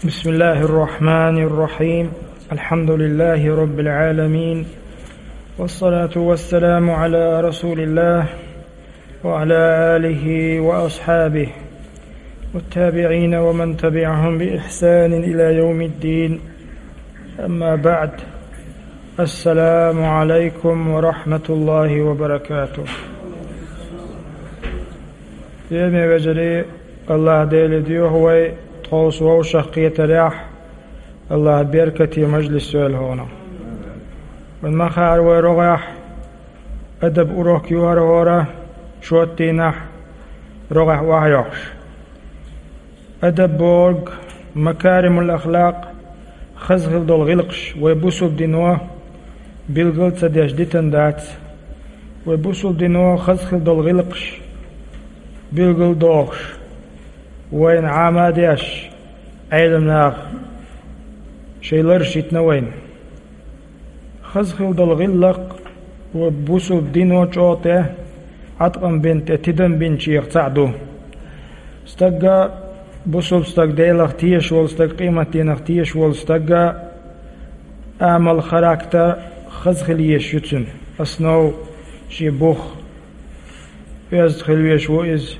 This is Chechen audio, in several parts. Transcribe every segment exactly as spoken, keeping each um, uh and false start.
بسم الله الرحمن الرحيم. الحمد لله رب العالمين. والصلاة والسلام على رسول الله وعلى آله وأصحابه والتابعين ومن تبعهم بإحسان إلى يوم الدين. أما بعد. السلام عليكم ورحمة الله وبركاته. Динан вежарий, АллахӀ Деле доьху вай тховса вовшах кхетарехь, АллахӀа беркате мажлис йойла хьуна. Вайн ма хаара вай рогӀехь адаб урок ю хӀара хӀора, шоттийнахь рогӀехь охьайохуш. Адаб бохург, макаримул ахлакъ, хаза хила долу гӀиллакхаш вай бусулба дино билгал а ца деш дитина дац. Вай бусулба дино хаза хила долу гӀиллакхаш билгал а дохуш, вайна Ӏама а деш, Ӏеламнаха шайн лараш йитина вайна. Хаза хила долу гӀиллакх вай бусулба дино чӀогӀа тӀе Ӏаткъам бина, тӀе тидам бинчех цхьаъ ду. Стагга, бусулба стаг, Делах тешаш волу стаг, къематдийнах тешаш волу стагга амал, характер хаза хила езаш ю цуьнан. Основа шен бух, оьзда хила везаш ву иза,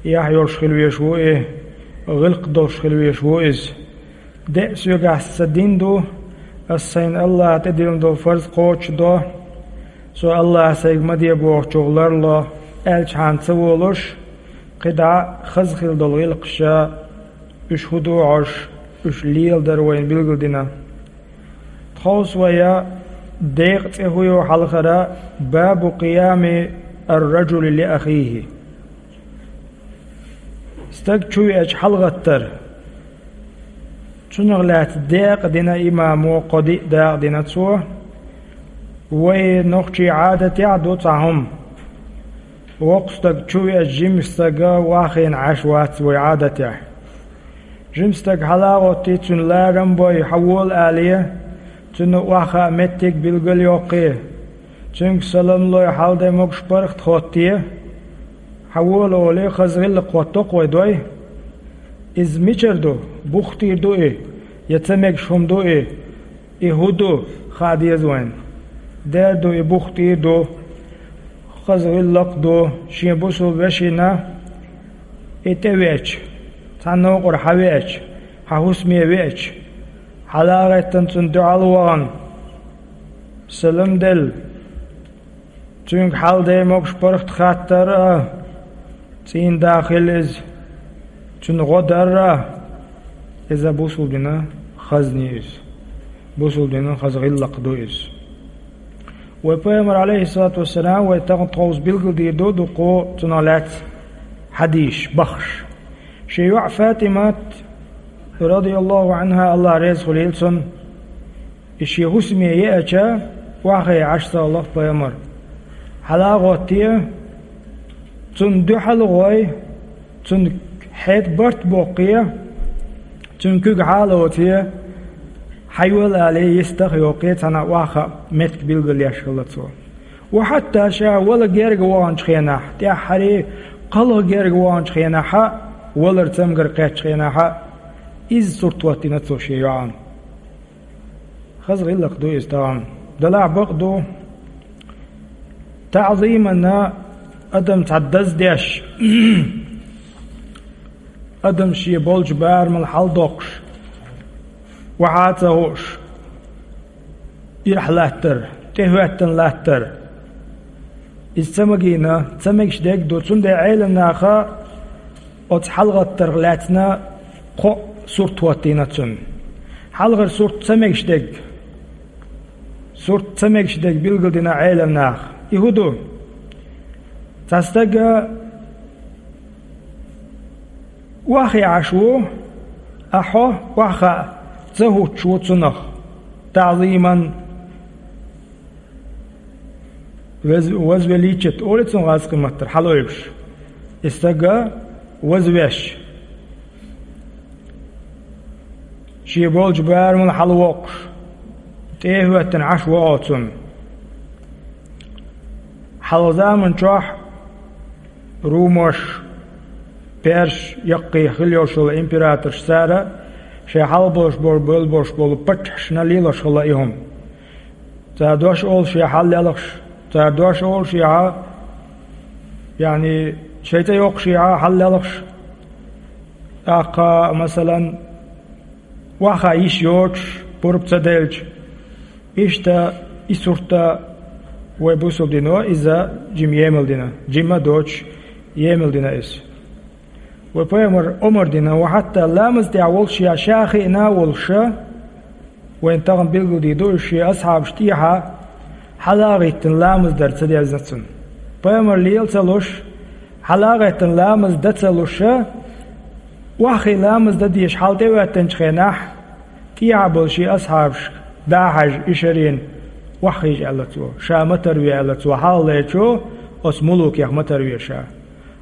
яхь йолуш хила везаш ву и, гӀиллакх долуш хила везаш ву иза. Де а соьгахь сан дин ду, ас сайна АллахӀа тӀедиллина долу фарз кхочушдо, со АллахӀа сайга ма де бохучух ларло, аьлчхьана ца волуш, кхидӀа хаза хила долу гӀиллакхаш, уьш хӀун ду хьожуш, уьш леладар вайна билгалдина. Тховса вай декъан цӀе хӀун ю хьалхара, бабу къиями ар-раджули ли ахихи. Стаг чу веача хьалагӀаттар. Цунах лаьцна декъадина имамо, кхо-диъ дакъа дина цо. Вай нохчий Ӏадатехь ду цхьа хӀума. Воккха стаг чу веача жима стаг охьахиъна Ӏаш вац вай Ӏадатехь. Жима стаг хьала а гӀоттий, цуьнан ларам а бой, хьан вола алий, цунна охьахаа меттиг билгал а йоккхий, цуьнга салам а лой, хьал-де могуш-паргӀат хоттий, хьан вола олий, хаза гӀиллакх хӀотто-кх вай дой. Иза мичара ду? Бух тӀера ду и, я ца мегаш хӀума ду и? И хӀун ду, хаа деза вайна. Дера ду, и бух тӀера ду, хаза гӀиллакх ду, шен бусулба вешина и тӀевеача, цхьана новкъара хьан веача, хьан хӀусаме веача, хьала а гӀеттина цунна дуьхьал а вахана, салам а делла, цуьнга хьал-де могуш-паргӀат хаттар а, цӀийнда хила иза, цуьнан гӀо дар а, иза бусулба динан хазна ю иза. Бусулба динан хаза гӀиллакх ду иза. Вай Пайхамар, Ӏалайхиссалату вассалам, вай тахана тховса билгалдийр ду дуккха цунах лаьцна хьадисаш, бахаш. Шен йоӀ ФатӀимат, радияллаху Ӏанха, АллахӀ реза хуьлийла цунна, и шен хӀусаме еача, охьахиъна Ӏаш ца хилла-кх Пайхамар. Хьала а гӀоттий, цунна дуьхьал а гӀой, цунна хьеда барт а боккхий, цуьнан куьг хьала а оций, хьан йола алий, йистах а йоккхий, цхьана охьахаа меттиг билгалъеш хилла цо. Ва хьатта ша вала герга ваханчу хенахь, тӀаьххьара кхалха герга ваханчу хенахь а, валар цамгар кхеттачу хенахь а, иза сурт хӀоттийна цо шен йоӀана. Хаза гӀиллакх ду иза тахана. Делахь бакъ ду, таӀзимана адам цхьа даздеш, адам шен болчу барамал хьаладоккхуш, охьа а ца хууш, ирахь латтар, тӀехӀоьттина латтар. Иза ца магийна, ца мегаш дерг а ду, цундела Ӏеламнаха оцу хьалагӀаттарх лаьцна кхо сурт хӀоттийна цунна. Хьалхара сурт ца мегаш дерг. Сурт ца мегаш дерг билгалдина Ӏеламнаха. И хӀун ду? Цхьа стаг охьахиъна Ӏаш ву, а хьо охьахаа ца хӀуттуш ву цунах. ТаӀзиман, вез-, возвеличить олу цунах гӀазкхийн маттара, хьалаойбуш. И стаг вазвеш, шен болчу барамал хьалавоккхуш, тӀе а хӀоьттина Ӏаш ву оцунна. Хьалха заман чохь румаш, персаш, яккхий хила йолуш йолу императорш цара Шайн хьалха болуш болу, бевлла болуш болу паччахьашна лелош хилла и хӀума. Цара дош олу шен хьал лелхаш, цара дош олу шен хьа, яъни, шайн цӀе йоккхуш шен хьа хьал лелхаш. ТӀаккха, масалан, охьахаа йиш йоцуш, пурба ца делча, иштта и сурт а вай бусалба дино иза жима емал дина, жима доцуш емал дина иза. Вай пайхамар омра дина, ва хьатта ламаз тӀехь волуш ша, ша хиъна а волуша, вайна тахана билгалдийр ду, уьш шен асхьабаш тӀехьа хьала а гӀиттина ламаз дар ца дезна цунна. Пайхамар лела ца луш, хьала а гӀеттина ламаз дан ца луша, охьахиъна ламаз дан дезаш хьал тӀе а хӀоьттинчу хенахь, тӀехьа болу шен асхьабашка дӀа а хьаьжна, и шарена охьахиъча аьлла цо, ша ма тарве аьлла цо, хьалхалерчу оцу мулукех ма тарве ша.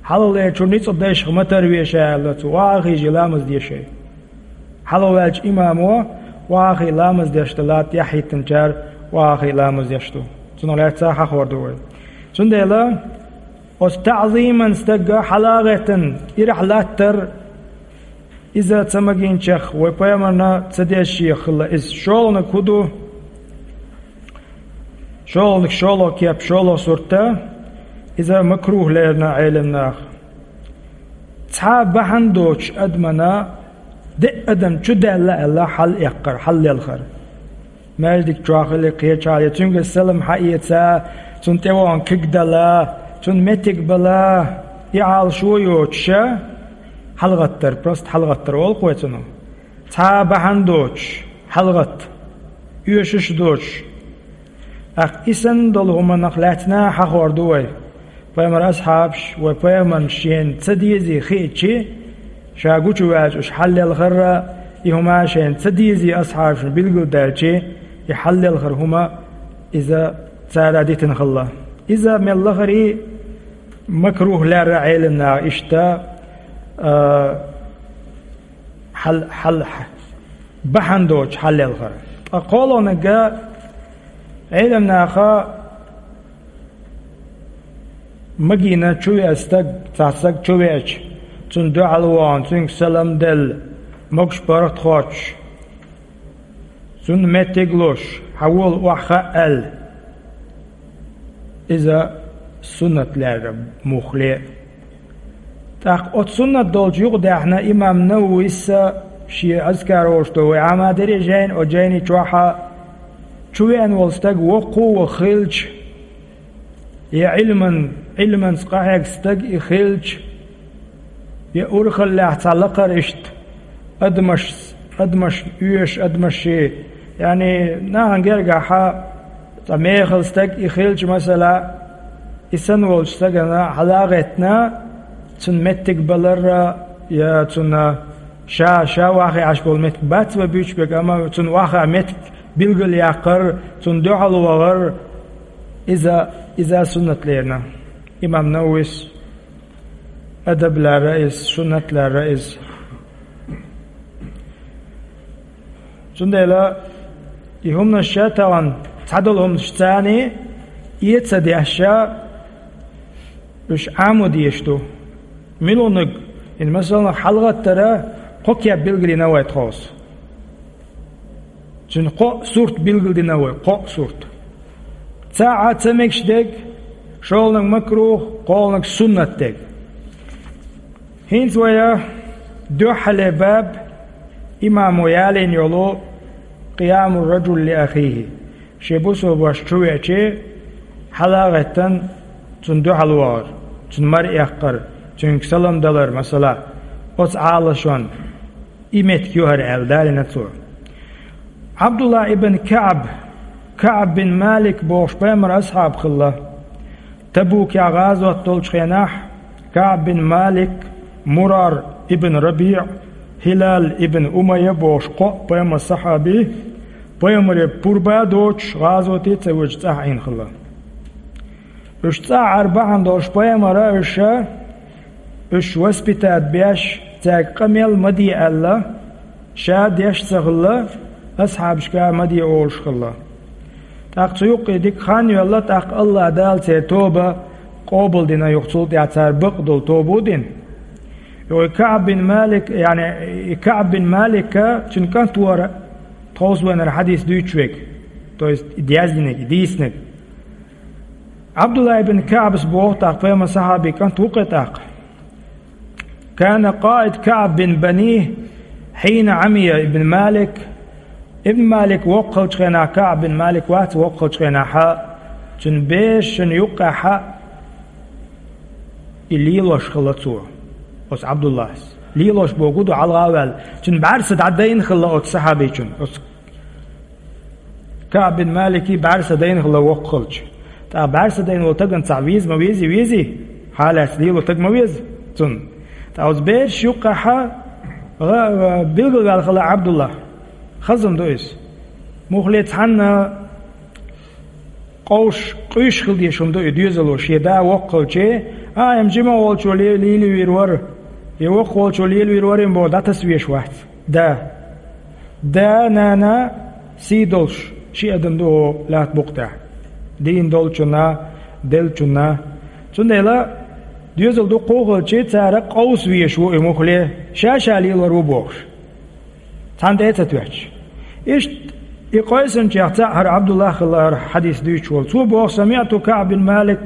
Хьалхалерчу ницкъ дайшах ма тарве ша аьлла цо, охьахиъча ламаз де шайн. Хьалхаваьллачу имамо охьахиъна ламаз деш дан латта тӀаьхьахӀиттинчара охьахиъна ламаз деш ду. Цунах лаьцна хьахор ду вай. Цундела оцу таӀзиман стага хьала а гӀеттина, ирахь латтар, иза ца магийначех вай пайхамарна ца дезаш хилла иза. ШолгӀаниг хӀун ду? ШолгӀаниг, шолгӀа кеп, шолгӀа сурт а, иза макрухӀ лерина Ӏеламнаха. Цхьа бахьана доцуш адамана деа адам чу даьлла аьлла хьал эккхар, хьал лелхар. Маьждиг чохь или кхечахьа, я цуьнга салам хьаэца, цунна тӀе вахана куьг дала, цунна меттиг бала, и Ӏалашо йоцуша, хьалагӀаттар, просто хьалагӀаттар олу-кх вай цунах. Цхьа а бахьана доцуш, хьалагӀатта, оьшуш а доцуш. ТӀаккха и санна долу хӀуманах лаьцна хьахор ду вай. Пайхамар асхьабаш, вай пайхамарна шена ца дезий хиъчи, ша гучуваьлча уьш хьал лелхарра, и хӀума шена ца дезий асхьабашна билгалдаьлчи, и хьал лелхар хӀума иза цара дитина хилла. Иза мел лахарий макрухӀ лерра Ӏеламнаха иштта, а, хьал, хьал, бахьана доцуш хьал лелхар. Ткъа кхоалгӀаниг Ӏеламнаха магийна чу веа стаг, цхьа стаг чу веача, цунна дуьхьал вахана, цуьнга салам делла, могуш-паргӀат хоттуш, цунна меттиг луш, хьан волу охьахаа аьлла. Иза суннат лерра муххале. ТӀаккха оцу суннат долчу юкъадаьхна имам Нававис а шен Азкар олуш долу вай Ӏамадаре жайна, оцу жайни чохьа чу веана волу стаг воккху а ваха хилча, я Ӏилман, Ӏилманца къахьегна стаг и хилча, я урхаллехь цхьа лакхара иштта адамаш, адамаш оьшуш, адамашший, яъни нахана гергахьа цхьа мехала стаг и хилча, масала, и санна волчу стагана хьала а гӀеттина, цунна меттиг баларра, я цунна ша, ша охьахиъна Ӏаш болу меттиг бац вай буьйцуш берг, амма цунна охьахаа меттиг билгалъяккхар, цунна дуьхьал вахар, иза, иза суннат лерина. Имам Нававис адаб лерра иза, суннат лерра иза. Цундела и хӀуманаш ша тахана цхьадолу хӀуманаш царний эца деш ша, уьш Ӏамо дезаш ду. Муьлханиг, хӀинца масалнах хьалагӀаттара кхо кеп билгалйина вай тховса. Цуьнан кхоъ сурт билгалдина вай, кхоъ сурт. Цхьаъ ца мегаш дерг, шолгӀаниг макрухӀ, кхоалгӀаниг суннат дерг. ХӀинца вай дуьххьале баб имамо ялийна йолу къиямур-раджули ли ахихӀи. Шен бусалба ваша чу веачи, хьала а гӀеттина, цунна дуьхьал вахар, цунна мара эккхар, цуьнга салам далар, масала, оцу Ӏалашонна. И меттиг ю хӀара аьлла далийна цо. Ӏабдулла ибн КаӀб, КаӀб бин Малик бохуш пайхамар асхьаб хилла. Табукехь гӀазот долчу хенахь КаӀб бин Малик, Мурар ибн РабиӀ, ХӀилал ибн Умайя бохуш кхоъ пайхамар сахьаби, пайхамаре пурба а доцуш, гӀазоте а ца воьдуш цӀахь Ӏийна хилла. Уьш цӀахь Ӏар бахьана долуш пайхамара уьш Уьш воспитать беш, цаьрга къамел ма де аьлла, ша деш ца хилла, асхьабашка ма де олуш хилла. ТӀаккха цу юккъе дика хан йоьлла, тӀаккха АллахӀ Дала церан тоба къобалдина юха, цул тӀаьхьа цара бакъдолу тоба а дина. Йо, и КаӀб бин Малик, яъни, и КаӀб бин Малика, цуьнан кӀант вара тховсавенара хьадис дуьйцуш верг. То есть, и дяздинарг, и дийцинарг. Абдуллах ибн КаӀбас боху тӀаккха, пайхамар сахьаби кӀант ву-кх тӀаккха. كان قائد كعب بن بنيه حين عمي ابن مالك. Ибн Малик воккха хилчу хенахь, КаӀб бин Малик вац воккха хилчу хенахь, цуьнан берашна юккъехь и лелош хилла цо, оцу Абдуллахьас. Лелош бохург ду, хьалха а ваьлла. Цуьнан бӀаьрса дӀадайна хилла оцу сахьабичун, оцу КаӀб бин Маликан бӀаьрса дайна хилла воккха хилча. ТӀаккха бӀаьрса дайна волу стагана цхьа веза ма везий, везий? Хьалаьцна лело стаг ма веза цунна. ТӀаккха оцу берашна юккъехь гӀа-, гӀа-, билгалваьлла хилла Абдуллах. Хаза хӀума ду иза. Муххале цхьанна къовсуш, къуьйсуш хила дезаш хӀума ду и доьзало, шен да воккха хилча, а, и жима волчо ле-, лелийвийр вара, я воккха волчо лелийвийр вара бохуш дӀатаса везаш вац. Да. Да, нана сий долуш ши адам ду хӀокху лаьттан букъа тӀехь. Дийна долчунна, деллачунна. Цундела доьзал дуккха а хилча, цара къовса везаш ву и муххале, ша-ша лелор ву бохуш. Цхьанна тӀе а ца тоьттуш. Иштта и къийсинчех цхьаъ хӀара Абдуллах хилла, хӀара хьадис дуьйцуш волу. Цо боху: سمعت كعب بن مالك,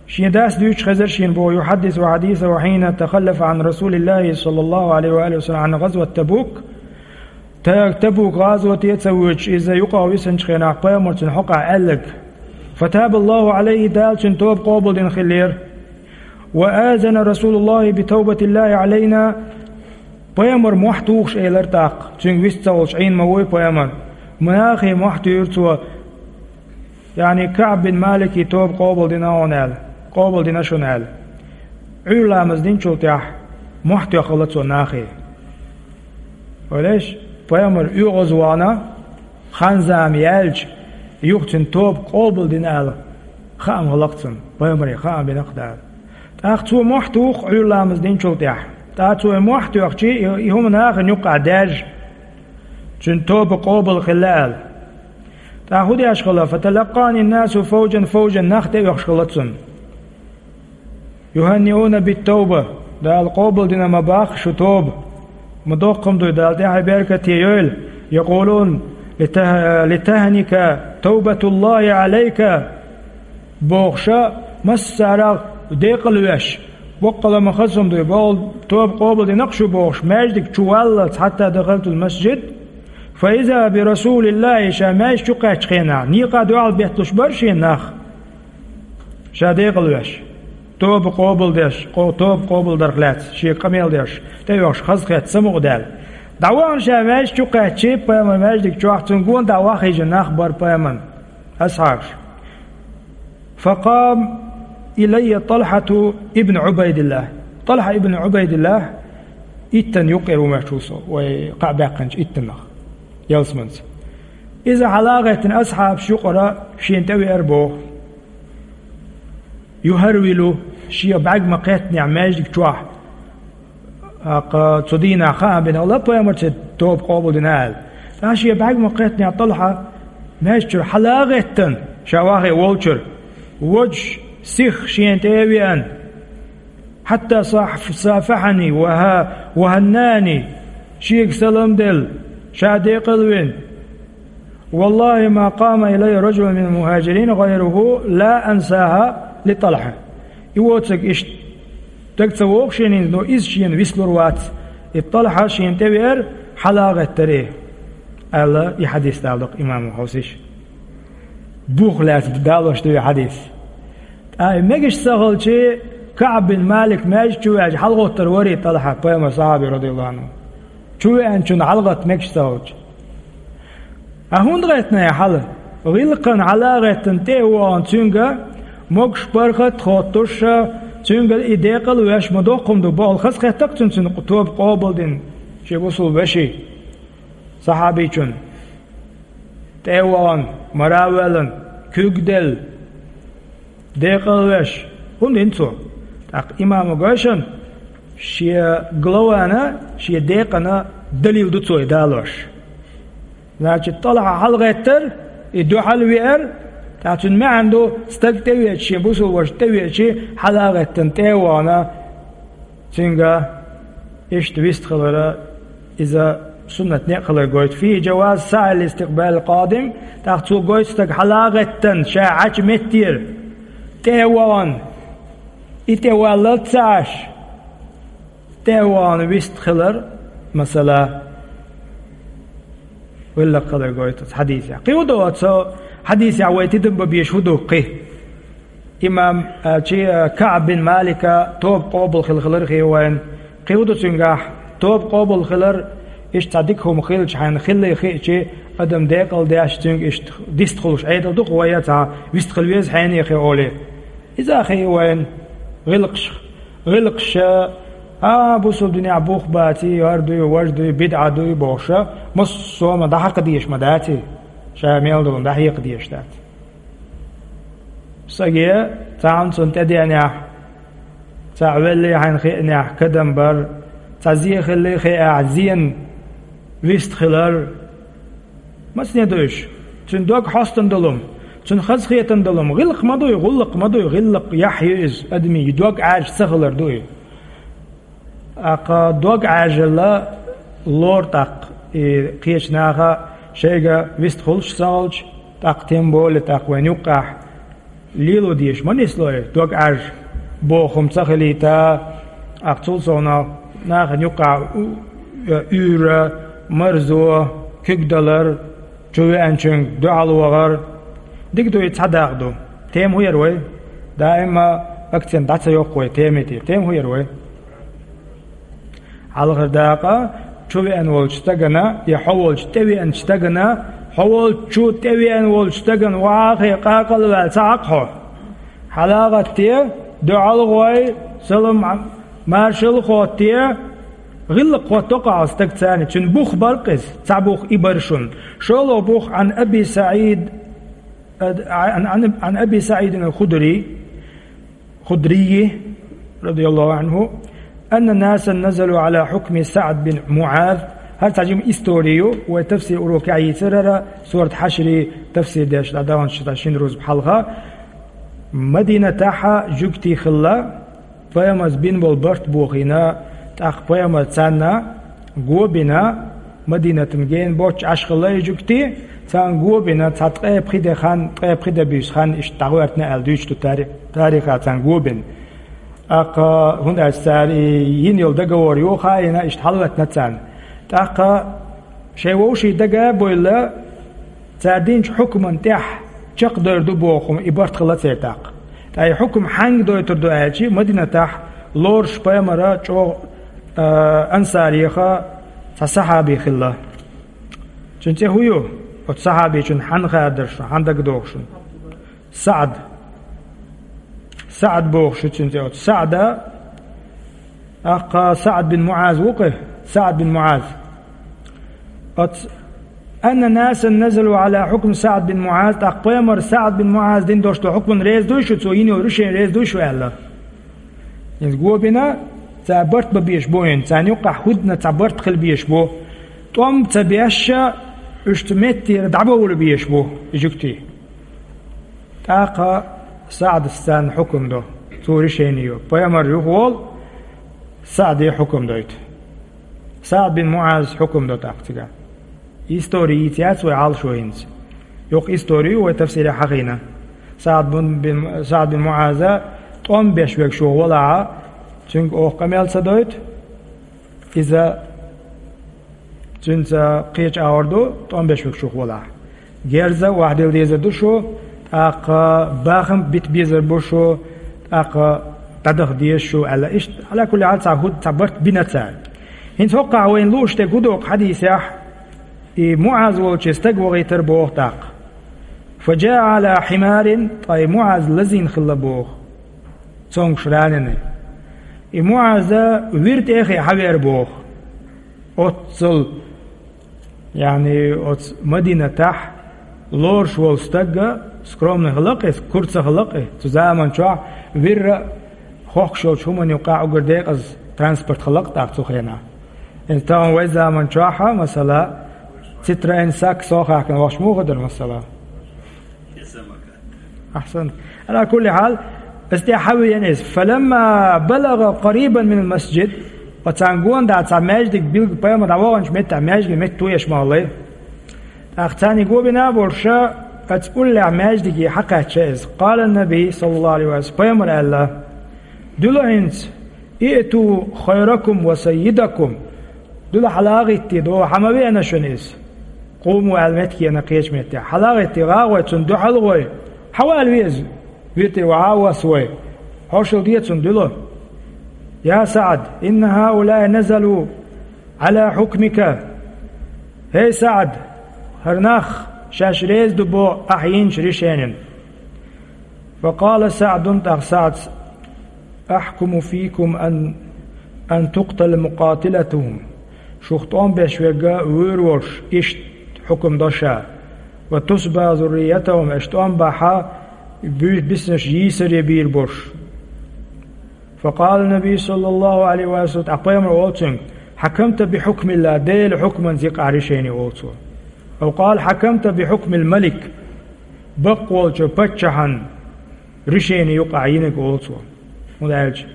шен дас дуьйцуш хезира шена боху, يحدث حديثه حين تخلف عن رسول الله صلى الله عليه وآله وسلم عن غزوة تبوك. Та-, Табук гӀазоте а ца воьдуш, иза юкъахь висинчу хенахь пайхамар цунна хьокъехь аьлларг. فتاب الله عليه, Дала цуьнан тоба къобалдина хиллера. وآذن رسول الله بتوبة الله علينا. Пайхамар мохь тухуш элира тӀаккха, цуьнга вист ца волуш Ӏийна ма вуй пайхамар. Нахе мохь туьйхира цо, яъни КаӀб бин Маликан тоба къобалдина хьуна аьлла, къобалдина шуна аьлла. Ӏуьйра ламаз динчул тӀаьхьа мохь тоьхна хилла цо нахе. Валеш, пайхамар оьгӀазвахана, хан-зама яьлча, юха цуьнан тоба къобалдина аьлла, хаам хилла-кх цунна, пайхамаре хаам бина-кх Дала. ТӀаккха цо мохь туху Ӏуьйра ламаз динчул тӀаьхьа. ТӀаккха цо и мохь тоьхча, и, и хӀума нахана юккъехь даьржа, цуьнан тоба къобал хилла аьлла. ТӀаккха хӀун деш хилла? فتلقاني الناس فوجا فوجا, нах тӀеоьхуш хилла цунна. يهنئون بالتوبة. Дала къобалдина ма боху шу тоба. Ма доккха хӀума ду, Дала тӀаьхье беркате йойла. يقولون لته-, لتهنك توبة الله عليك. Бохуш, массарах декъал веш, боккъала ма хаза хӀума ду, боху, тоба къобалдина-кх шу бохуш, маьждиг чу валлалц, حتى دخلت المسجد. فإذا برسول الله, ша маьждиг чу кхаьччу хенахь, некъа дуьхьал бетталуш бара шена нах. Ша декъал веш, тоба къобалдеш, къо-, тоба къобалдарх лаьцна шен къамел деш, тӀеоьхуш хазахетта самукъадаьлла. ДӀавахана ша маьждиг чу кхаьчча, пайхамар маьждиг чохь, цунна гонахь дӀа вахийна нах бара пайхамаран асхьабаш. فقام إلي طلحة بن عبيد الله. ТӀалхьа ибн Ӏубайдиллахь иттанна юккъера ву моьтту со, вай кхаъ баьккхинчу иттаннах, ялсаманца. Иза хьала а гӀеттина асхьабаш юкъара шена тӀевеара боху. يهرول, шен бӀаьрг ма-кхеттинехь маьждиг чохь, тӀаккха цу дийнахь хаам бина хилла пайхамарца тоба къобалдина аьлла. ТӀаккха шен бӀаьрг ма-кхеттинехь ТӀалхьа маьждиг чуьра хьала а гӀеттина, ша вахе волчуьра, водуш сиха шена тӀе а веана, حتى صاف-, صافحني وه-, وهناني, шега салам делла, ша декъал вина. والله ما قام إلي رجل من المهاجرين غيره لا أنساها لطلحة. И воцург иштта дага ца вогӀу шена, но иза шена вислур вац. И ТӀалхьа шена тӀевеара, хьала а гӀеттара, аьлла, и хьадис даладо-кх имамо хьовсийша. Бух лаьцна далош ду и хьадис. Ткъа и мегаш ца хилча, КаӀб бин Малик маьждиг чу веача, хьалагӀоттур варий ТӀалхьа, пайхамаран сахьаби, радияллаху Ӏанху? Чу веанчунна хьалагӀатта мегаш ца хилча. Ткъа хӀунда гӀеттина хьала? ГӀиллакхана хьала а гӀеттина, тӀе а вахана цуьнга, могуш-паргӀат а хоттуш, цуьнга и декъал а веш, ма доккха хӀума ду, бохуш хазахетта-кх цунна, цуьнан тоба къобалдина шен бусалба вешин, сахьабичун. ТӀе а вахана, мара а воьллина, куьг а делла, декъал а веш, хӀунда дина цо? ТӀаккха имамо гой шуна, шен главана, шен декъана далил ду цо и далош. Значит, ТӀалхьа хьалагӀеттара, и дуьхьал а веара, тӀаккха цуьнан маьӀна ду, стаг тӀевеача, шен бусалба ваша тӀевеача, хьала а гӀеттина, тӀе а вахана, цуьнга Иштта вистхилар иза суннат некъ хилар гойту. فيه جواز سعي لاستقبال القادم, тӀаккха цо гойту стаг хьалагӀеттан ша Ӏачу меттера тӀе а вахана, и тӀе валлалц ца Ӏаш, тӀе а вахана вистхилар, масала, гӀиллакх хилар гойту цу хьадисехь. Кхин хӀун ду оцу хьадисехь вай тидам бан безаш хӀун ду кхин? Имам, а, чи, а, КаӀб бин Малика тоба къобал хилла хилар хи вайн. Кхин хӀун ду цуьнгахь, тоба къобал хилар, иштта цхьа дика хӀума хилча, хьайна хиллий хиъча, адам декъал деш цуьнга иштта дистхуьлуш Ӏедал ду-кх вай, цхьа вистхила веза хьенехе олий. Иза а хи вайн гӀиллакхаш, гӀиллакхаш, а, бусул динехь бух баций, хӀара дуй, важа дуй, бидӀа дуй бохуш, массо а ма дӀахьакха дезаш ма даций, ша мел долу дӀахьекха дезаш дац. Саге цхьаьна цунна тӀедеанехь, цхьаъ веллий хьайна хиънехь, кадам бар, цхьа зе хиллий хиъахь, зен вистхилар. Масане ду уьш? Цуьнан дог хьостан долу, цуьнан хазахетан долу, гӀиллакх ма дуй, гӀуллакх ма дуй, гӀиллакх яхь ю иза, адамийн дог Ӏаьржа ца хилар ду и. ТӀаккха дог Ӏаьржалла лору тӀаккха, и кхечу наха шайга вистхуьлуш ца хилча, тӀаккха тем более тӀаккха вайн юккъехь лело дезаш ма нислой, дог Ӏаьржа боху хӀума ца хилийта, тӀаккха цул совнаха нахана юккъехь у-, уьйра, марзо, куьг далар, чу веанчуьнга дуьхьал вахар. Дика ду и, цхьа дакъа ду. Тема хӀун яра вай? Даима акцент дӀа ца йоккху вай темин тӀе. Тема хӀун яра вай? Хьалхара дакъа, чу веана волчу стагана, я хьо волчу тӀевеанчу стагана, хьо волчу тӀевеана волчу стагана вахьа а хи къакъал а ваьлла ца Ӏа-кх хьо. ХьалагӀатте, дуьхьал а гӀой, салам, маршалла а хоттае, гӀиллакх хӀотто-кх хьо стаг царна, цуьнан бух бара-кх иза, цхьа бух и бара шуна. ШолгӀа бух, Ӏан Аби СаӀид, Ӏан, Ӏан, Ӏан Аби СаӀидин ал-Худрий, Худрий, радияллаху Ӏанху, анна насан назалу Ӏала хьукми СаӀд бин МуӀаз. ХӀара цхьа жима истори ю, вай тафсир урокехь йийцира хӀара, сурат Хьашри тафсир деш дӀадаханчу шина рузба хьалха. Мадинатахь жуьгтий хилла, пайхамарца бина болу барт бохийна, тӀаккха пайхамарца царна го бина, Мадинатана гена боццуш Ӏаш хилла и жуьгтий, царна го бина, цхьа ткъе пхи де хан, ткъе пхи де буьйса хан иштта дӀагӀоьртина аьлла дуьйцуш ду тари-, тарихехь царна го бина. ТӀаккха, хӀунда аьлча цара и йина йолу договор ю хаийна, иштта хьалалатина царна. ТӀаккха шайн вовшийн дага а бевлла, цара динчу хьукмана тӀехь чекхдевр ду боху хӀума и барт хилла церан тӀаккха. Ткъа и хьукм хьаьнга дойтур ду аьлча, Мадинатахь лоруш пайхамаран чӀогӀа, а, ансарех цхьа сахьаби хилла. Цуьнан цӀе хӀун ю? Оцу сахьабичун хьанна хадара шуна, хьанна дагадогӀу шуна? СаӀд. СаӀд бохуш ю цуьнан цӀе. Оцу СаӀда, тӀаккха СаӀд бин МуӀаз ву-кх, СаӀд бин МуӀаз. Оцу, анна насан назалу Ӏала хьукм СаӀд бин МуӀаз, тӀаккха пайхамар СаӀд бин МуӀаз дина долуш долу хьукмана реза дуй шу, цо йина йолу решени реза дуй шу аьлла. Иза го бина, цара барт бан безаш бу хӀинца, царна юккъехь хӀудна цхьа барт хила безаш бу. ТӀом ца беш, уьш цу меттера дӀабовла безаш бу и жуьгтий. ТӀаккха СаӀдас царна хьукам до, цо решени йо. Пайхамар юхаволу, СаӀде хьукам дойту. СаӀд бин МуӀазас хьукам до тӀаккха цигахь. Истори йийца яц вай Ӏалашо хӀинца. Юха истори ю вай тафсирехь хьахийна. СаӀд бин, бин, СаӀд бин МуӀаза тӀом беш верг шух валахьа, цуьнга оха къамел ца дойту, иза цуьнца кхечу агӀор ду, тӀом беш верг шух валахь. Герза охьадилла дезар ду шу, тӀаккха бахам бита безар бу шу, тӀаккха дӀадаха деза шу аьлла. Иштта, Ӏала кулли хьал, цхьа хӀуд, цхьа барт бина цара. ХӀинца хӀокхахь вайна лууш дерг хӀун ду-кх хьадисехь, и МуӀаз волчу стаг вахийтар боху тӀаккха. Фа жаа Ӏала хьимарин, ткъа и МуӀаз лазийна хилла боху. Цомгуш раненый. И МуӀаза вир тӀе а хиъна хьавеара боху. Оццул, яъни, оцу Мадинатахь лоруш волу стаг, скромный хилла-кх иза, кура ца хилла-кх иза. Цу заман чохь вирра хохкуш йолчу хӀуманна юккъехь уггар декъаза транспорт хилла-кх тӀаккха цу хенахь. Иза тахана вай заман чохь, масала, Citroën Saxo хаьхкина вахча муха дара, масала? Ахьсан. Ӏала кулли хьал, иза тӀе хьавеана иза. Фаламма балагӀа къарибан минал масжид, Оцарна гонахьа цхьа маьждиг билгал, пайхамар дӀаваханчу меттехь маьждиге метта тоеш ма хиллий. ТӀаккха царна гонахьа болуш, оцу уллехь маьждиге хьакхаьчча иза. Къала Наби, саллаллаху Ӏалайхи ва саллам, пайхамар аьлла: «Дуьла хӀинца, иъту хайракум ва саййидакум». Дуьла хьала а гӀиттий, дӀо хьа ма веана шуна иза. Къуму аьлла меттиг ена кхечу меттехь. Хьала а гӀиттий, гӀа а гӀой, цунна дуьхьал а гӀой. Хьа вала веза. Вирте вахьа а восса вай. Хьошалла де цунна дуьла. Я СаӀд, инна хьаулаи назалу Ӏала хьукмика. ХӀей СаӀд, хӀара нах шаьш реза ду боху ахь йинчу решенина. Факъала СаӀдун, тӀаккха СаӀдас: «Ахькуму фийкум ан, ан тукътала мукъатилатухум». Шух тӀом беш верг вуьйр волуш, иштта хьукам до ша. «Ва тусба зурриятахум», аша тӀом бахьа, буьйш биснарш йийсаре бийр болуш. Факъала Наби, саллаллаху Ӏалайхи ва саллам, тӀаккха пайхамар олу цуьнга: «Хьакамта би хьукмилла», Делан хьукманца йина ахь решени, олу цо. Ав къала: «Хьакамта би хьукмил малик», баккъалчу паччахьан решени ю ахь йинарг, олу цо. ХӀунда аьлча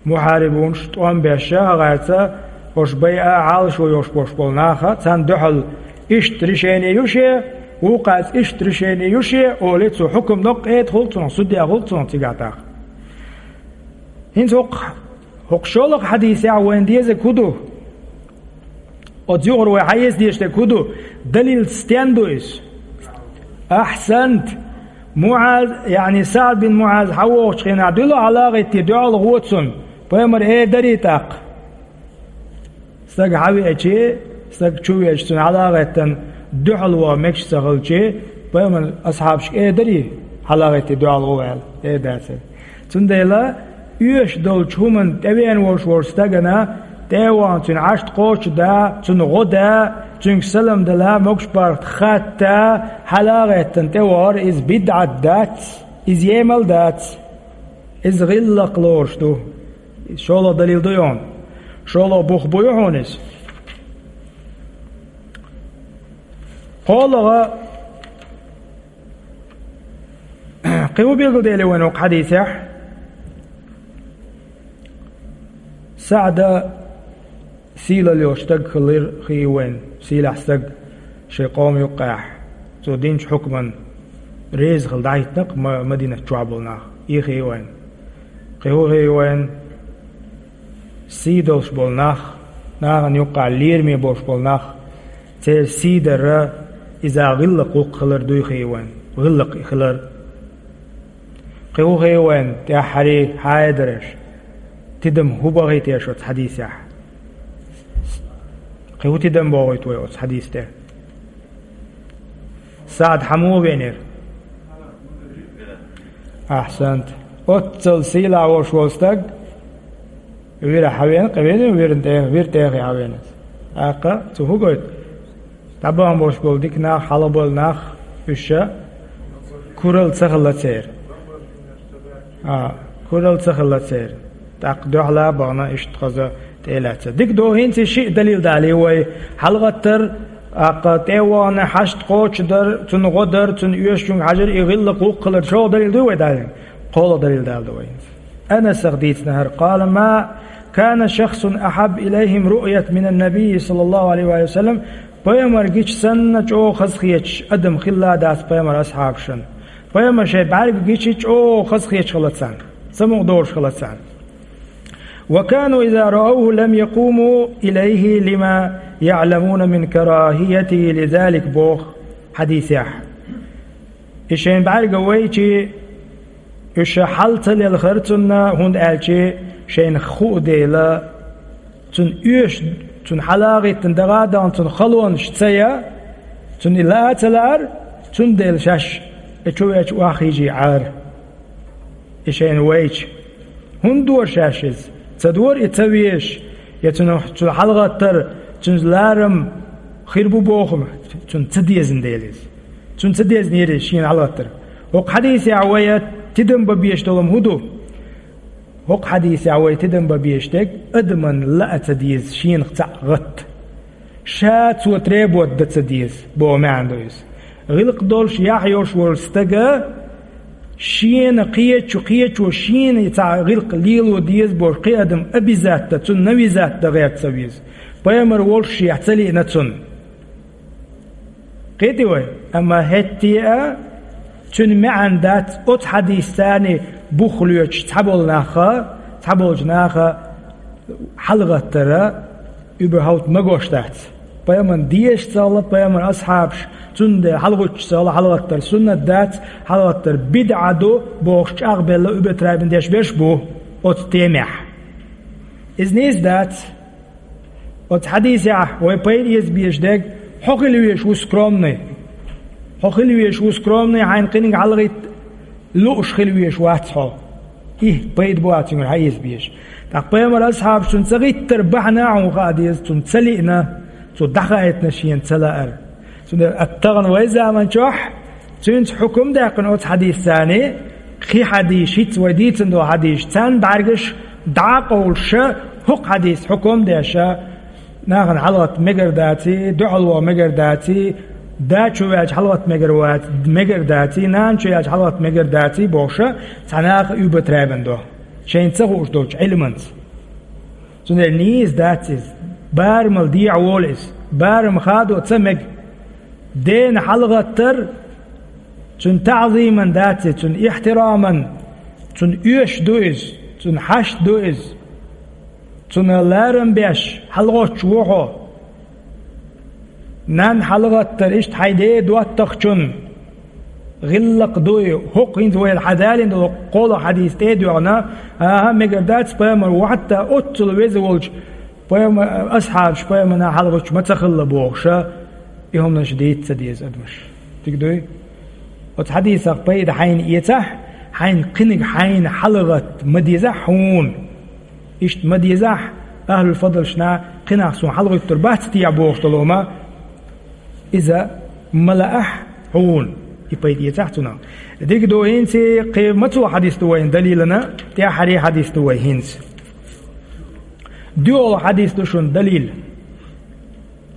мухьарибунаш тӀом беш а гӀерта, хӀорш байа а Ӏалашо йолуш болуш болу наха, царна дуьхьал иштта решени ю шен, вукхаьца иштта решени ю шен, олий цо, хьукам до, къеда хуьлу цунах, судья хуьлу цунах цигахь тӀаккха. ХӀинца хӀокху, хӀокху шолгӀа хьадисехь вайна дезарг хӀун ду? Оцу юкъара вай хьаэца дезаш дерг хӀун ду? Далил стен ду иза? Ахьсант! МуӀаз, яъни СаӀд бин МуӀаз хьан вогӀучу хенахь дуьла хьала а гӀиттий, дуьхьал гӀо цунна. Пайхамар эр дарий тӀаккха? Стаг хьан веачи, стаг чу веача, цунна хьала а гӀеттина, дуьхьал ваха мегаш ца хилчи, пайхамар асхьабашка эр дарий, хьала а гӀиттий, дуьхьал гӀо аьлла? Эр дацара. Цундела оьшуш долчу хӀуманна тӀевеана волуш волчу стагана тӀе а вахана, цуьнан Ӏашт кхочушдан, цунна гӀо дан, цуьнга салам дала, могуш-паргӀат хатта, хьала а гӀеттина тӀевахар, иза бидӀат дац, иза емал дац, иза гӀиллакх лоруш ду. ШолгӀа далил ду хьуна. ШолгӀа бух бу хьуна иза. КхоалгӀа, кхин хӀун билгалдели вайна хӀокху хьадисехь? СаӀда сийлалла йолуш стаг хилира хии вайна, сийлахь стаг шайн къоман юккъехь, цо динчу хьукман реза хила дӀахӀиттина-кх Ма-, Мадинат чохь болу нах. И хии вайна. Кхин хӀун хии вайна? Сий долуш болу нах, нахана юккъехь лераме болуш болу нах, церан сий дар иза гӀиллакх-гӀуллакх хилар дуй хии вайна, гӀиллакх хилар. Кхин хӀун хии вайна, тӀаьххьарий хьададарш, тидам хӀун бахий теша оцу хьадисехь? Кхин хӀун тидам бохуьйту вай оцу хьадис тӀе? СаӀд хьан муха веанера? Ахьсант. Оццал сийлахь волуш волу стаг вира хьан веана, кхин веана вирна тӀе, вира тӀе хьан веана. ТӀаккха цо хӀун гойту? ДӀабахана болуш болу дика нах, хьалха болу нах, уьш ша куралла ца хилла церан. А, куралла ца хилла церан. ТӀаккха дуьхьала а бахана, иштта хаза тӀе а лаьцна. Дика ду, хӀинца шиъ далил далий вай. ХьалагӀаттар, тӀаккха тӀе а вахана, Ӏашт кхочушдар, цунна гӀо дар, цунна оьшучуьнга хьажар, и гӀиллакх-гӀуллакх хилар, шолгӀа далил дуй вай далийна? КхоалгӀа далил далийна ду вай хӀинца. Анасах дийцина хӀара: «Къала ма кана шахсун ахьабба илайхим руъятан минан набий, саллаллаху Ӏалайхи ва саллам». Пайхамар гича санна чӀогӀа хазахеташ адам хилла дац пайхамар асхьабашна. Пайхамар шайн бӀаьрг гича чӀогӀа хазахеташ хилла царна, самукъадолуш хилла царна. «Ва кану иза раавху лам якуму илайхи лима яъламуна мин карахиятихи лизалик», боху хьадисехь. И шайн бӀаьрга вайчи, уьш хьал ца лелхара цунна, хӀунда аьлча шайна хуу дела, цунна оьшуш, цунна хьалагӀиттина дагӀа а дахана, цунна халонаш ца ян, цунна и лаа а ца лаьара, цундела шаьш и чу веача охьахийжий Ӏара. И шайна вайча. ХӀунда дора шаьш иза? Ца дора и ца везаш, я цунах, цунах хьалагӀаттар, цуьнца ларам хир бу бохург, цунна ца дезна дела иза. Цунна ца дезнера иза шена хьалагӀаттар. ХӀокху хьадисехь вай тидам бан безаш долу хӀун ду? ХӀокху хьадисехь вай тидам бан безаш дерг адаман лаа ца деза шенах цхьаъ гӀатта. Ша цо требовать дан ца деза, боху маьӀна ду иза. ГӀиллакх долуш, яхь йолуш волу стага Шена кхечу, кхечо шена цхьа гӀиллакх лело деза бохуш кхин адам обязательно, цунна навязать дан гӀерта ца веза. Пайхамар волуш шех ца лиъна цунна. Кхетий вай? Амма хӀетте а цуьнан маьӀна дац оцу хьадисца царна бух лоьцуш цхьаболу наха, цхьаболчу наха хьалагӀаттара, уьбархьовта магош дац. Пайхамарна дезаш ца хилла, пайхамаран асхьабаш цунна де хьалагӀуттуш ца хилла, хьалагӀаттар суннат дац, хьалагӀаттар бидӀа ду бохуш чӀагӀбелла уьбатайбина деш берш бу оцу темехь. Иза нийса дац. Оцу хьадисехь вай пайда эца безаш дерг, хьо хила везаш ву скромный. Хьо хила везаш ву скромный, хьайна кхиниг хьалагӀитта лууш хила везаш вац хьо. И пайда бу цуьнгара хьан эца безаш. ТӀаккха пайхамаран асхьабаш цунна ца гӀиттара бахьана а хьуна хаа деза, цунна ца лиъна, цо дӀахаийтина шена ца лаара. Цундела ат тахана вай заман чохь цуьнца хьукум даьккхина оцу хьадисца, кхин хьадисаш, хӀинца вай дийцина долу хьадисаш, царна бӀаьргаш дӀа а къовлуш, хӀокху хьадисца хьукум а деш, нахана хьалагӀатта мегар даций, дуьхьал ваха мегар даций, да чу ваьлча хьалагӀатта мегар вац-, мегар даций, нана чу яьлча хьалагӀатта мегар даций бохуш, цхьа наха уьбатайбина до, шайна ца хууш долчу Ӏилманца. Цундела нийса дац иза, барамал дехьа волу иза, барам хадо ца мега. Дена хьалагӀаттар цуьнан таӀзиман дац иза, цуьнан ихтираман, цунна оьшуш ду иза, цунна хьашт ду иза. Цунна ларам беш хьалагӀоттуш ву хьо. Нанна хьалагӀаттар иштта хьайн ден доттагӀчун гӀиллакх ду и, хӀокху хӀинца вайна хьадалийна долу кхоалгӀа хьадис тӀе а доьгӀна, аха, мегар дац пайхамар ву, хьатта оццул веза волчу пайхамар-, асхьабаш пайхамарна хьалагӀуттуш ма ца хилла бохуша, и хӀуманаш дийца ца деза адамаш. Дика дуй? Оцу хьадисах пайда хьайна эцахь, хьайна кхиниг хьайна хьалагӀатта ма дезахь хьуна. Иштта ма дезахь, ахьлул фадлашна кхин нах суна хьалагӀуьттур бац техьа бохуш долу хӀума, иза ма лаахь хьуна, и пайда эцахь цунах. Дика ду, хӀинца кхин мацо хьадис ду вайна далилана, тӀаьххьара хьадис ду вай хӀинца. ДоьалгӀа хьадис ду шуна далил.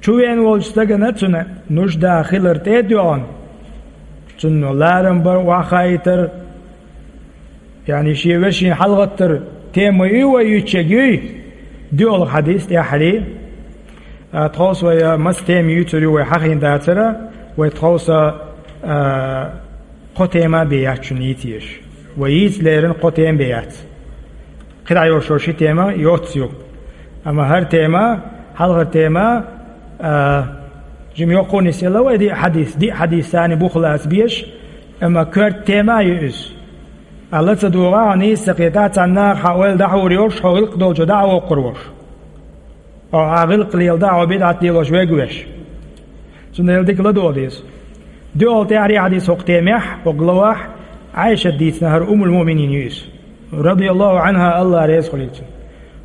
Чувен волчу стагана цуьнан нужда хилар тӀе а доьгӀна, цунна ларам бар охьахаийтар, яъни шен вешина хьалагӀаттар тема ю вай юьйцуш ерг юй, доьалгӀа хьадис тӀаьххьара. А, тховса вай, а, маса тема юьйцур ю вай хьахийна дацара, вай тховса, а, кхо тема бен яц шуна йийца езаш. Вай йийца леррина кхо тема бен яц. КхидӀа йолуш ши тема йоццу ю. Амма хӀара тема, хьалхара тема, а, жима йоккха нисъелла вай диъ хьадис, диъ хьадис санна бух лаца безаш, амма коьрта тема а ю иза. Ала ца дугӀа, хьо нийса ца кхетахь, цхьана наха хьан ойла дӀахьур йолуш, хьо гӀиллакх долчу дӀа а воккхур волуш. Хьо хьан гӀиллакх леладахь, хьо бидӀат лелош верг веш. Цундела дика ладогӀа деза. ДоьалгӀа тӀаьххьара хьадис хӀокху темехь, хӀокху главахь, Ӏайшат дийцина, хӀара Уммул-Муъминин ю иза. Радияллаху Ӏанха, Алла реза хуьлийла цунна.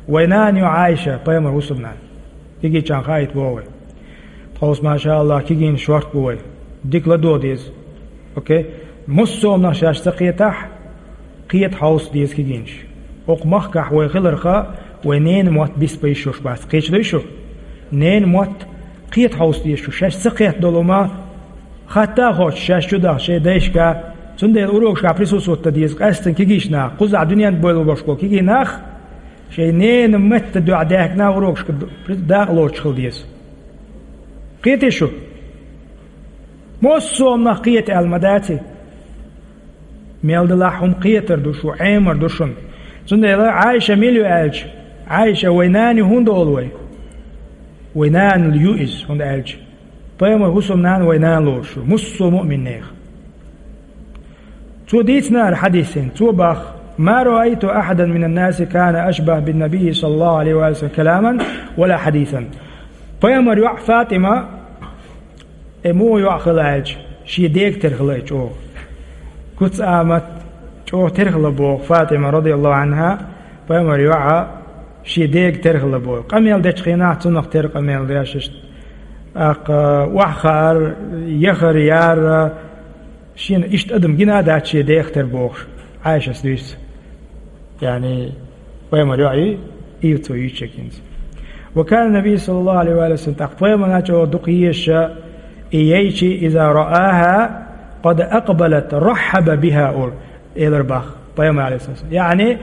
Вай нана ю Ӏайша, пайхамар хӀусамнана. Кегийчарна хаийта боху вай. Тховса, маша Аллах, кегийнаш шорта бу вай. Дика ладогӀа деза. Окей? Массо а нах шаьш ца кхетахь, кхета хьовса деза кегийнаш. ХӀокху махкахь вай хиларха, вай ненан мотт бисбан йиш йолуш бац. Кхеташ дуй шу? Ненан мотт кхета хьовса деза шу. Шаьш ца кхетта долу ма хатта а хоьттуш, шаьш чу даха шайн дайшка. Цундела урокашкахь присутствовать дан деза къаьсттина кегийчу наха. Кхузахь дуьнен тӀе бойла бохуш болу кегий нах, шайн ненан меттан дуьхьа даьхкина урокашка д-, дакъа лоцуш хила деза. Кхетий шу? Массо а нах кхета аьлла ма даций? Мел далахь хӀума кхетар ду шу, Ӏемар ду шуна. Цундела Ӏайша мила ю аьлча, Ӏайша вай нана ю хӀунда олу вай? Вай нана ю иза, хӀунда аьлча пайхамар хӀусамнана вай нана лоруш ю, массо а муъминех. Цо дийцина хӀара хьадис хӀинца, цо бах: «ما رأيت أحدا من الناس كان أشبه بالنبي صلى الله عليه وسلم كلاما ولا حديثا». Пайхамар йоӀ ФатӀима, э, муха йоӀ хила аьлча, шен дега тера хила и чӀогӀа. Куц а ма чӀогӀа тера хила боху ФатӀима, радияллаху Ӏанха, пайхамар йоӀ шен дега тера хила боху. Къамел дечу хенахь цунах тера къамел деш, иштта, аккха, охьахаар, яхар, яр, шена иштта адам гина а дац шен дех тера бохуш, Ӏайшас дуьйцу. Яъни, пайхамар йоӀ ю, и цо юьйцуш ерг хӀинца. «وكان النبي صلى الله عليه وسلم», тӀаккха пайхамарна чӀогӀа дукха езаш, и яйчи, «إذا رآها قد أقبلت رحب بها», олу. Элар бах пайхамар, алейхиссалам. Яъни,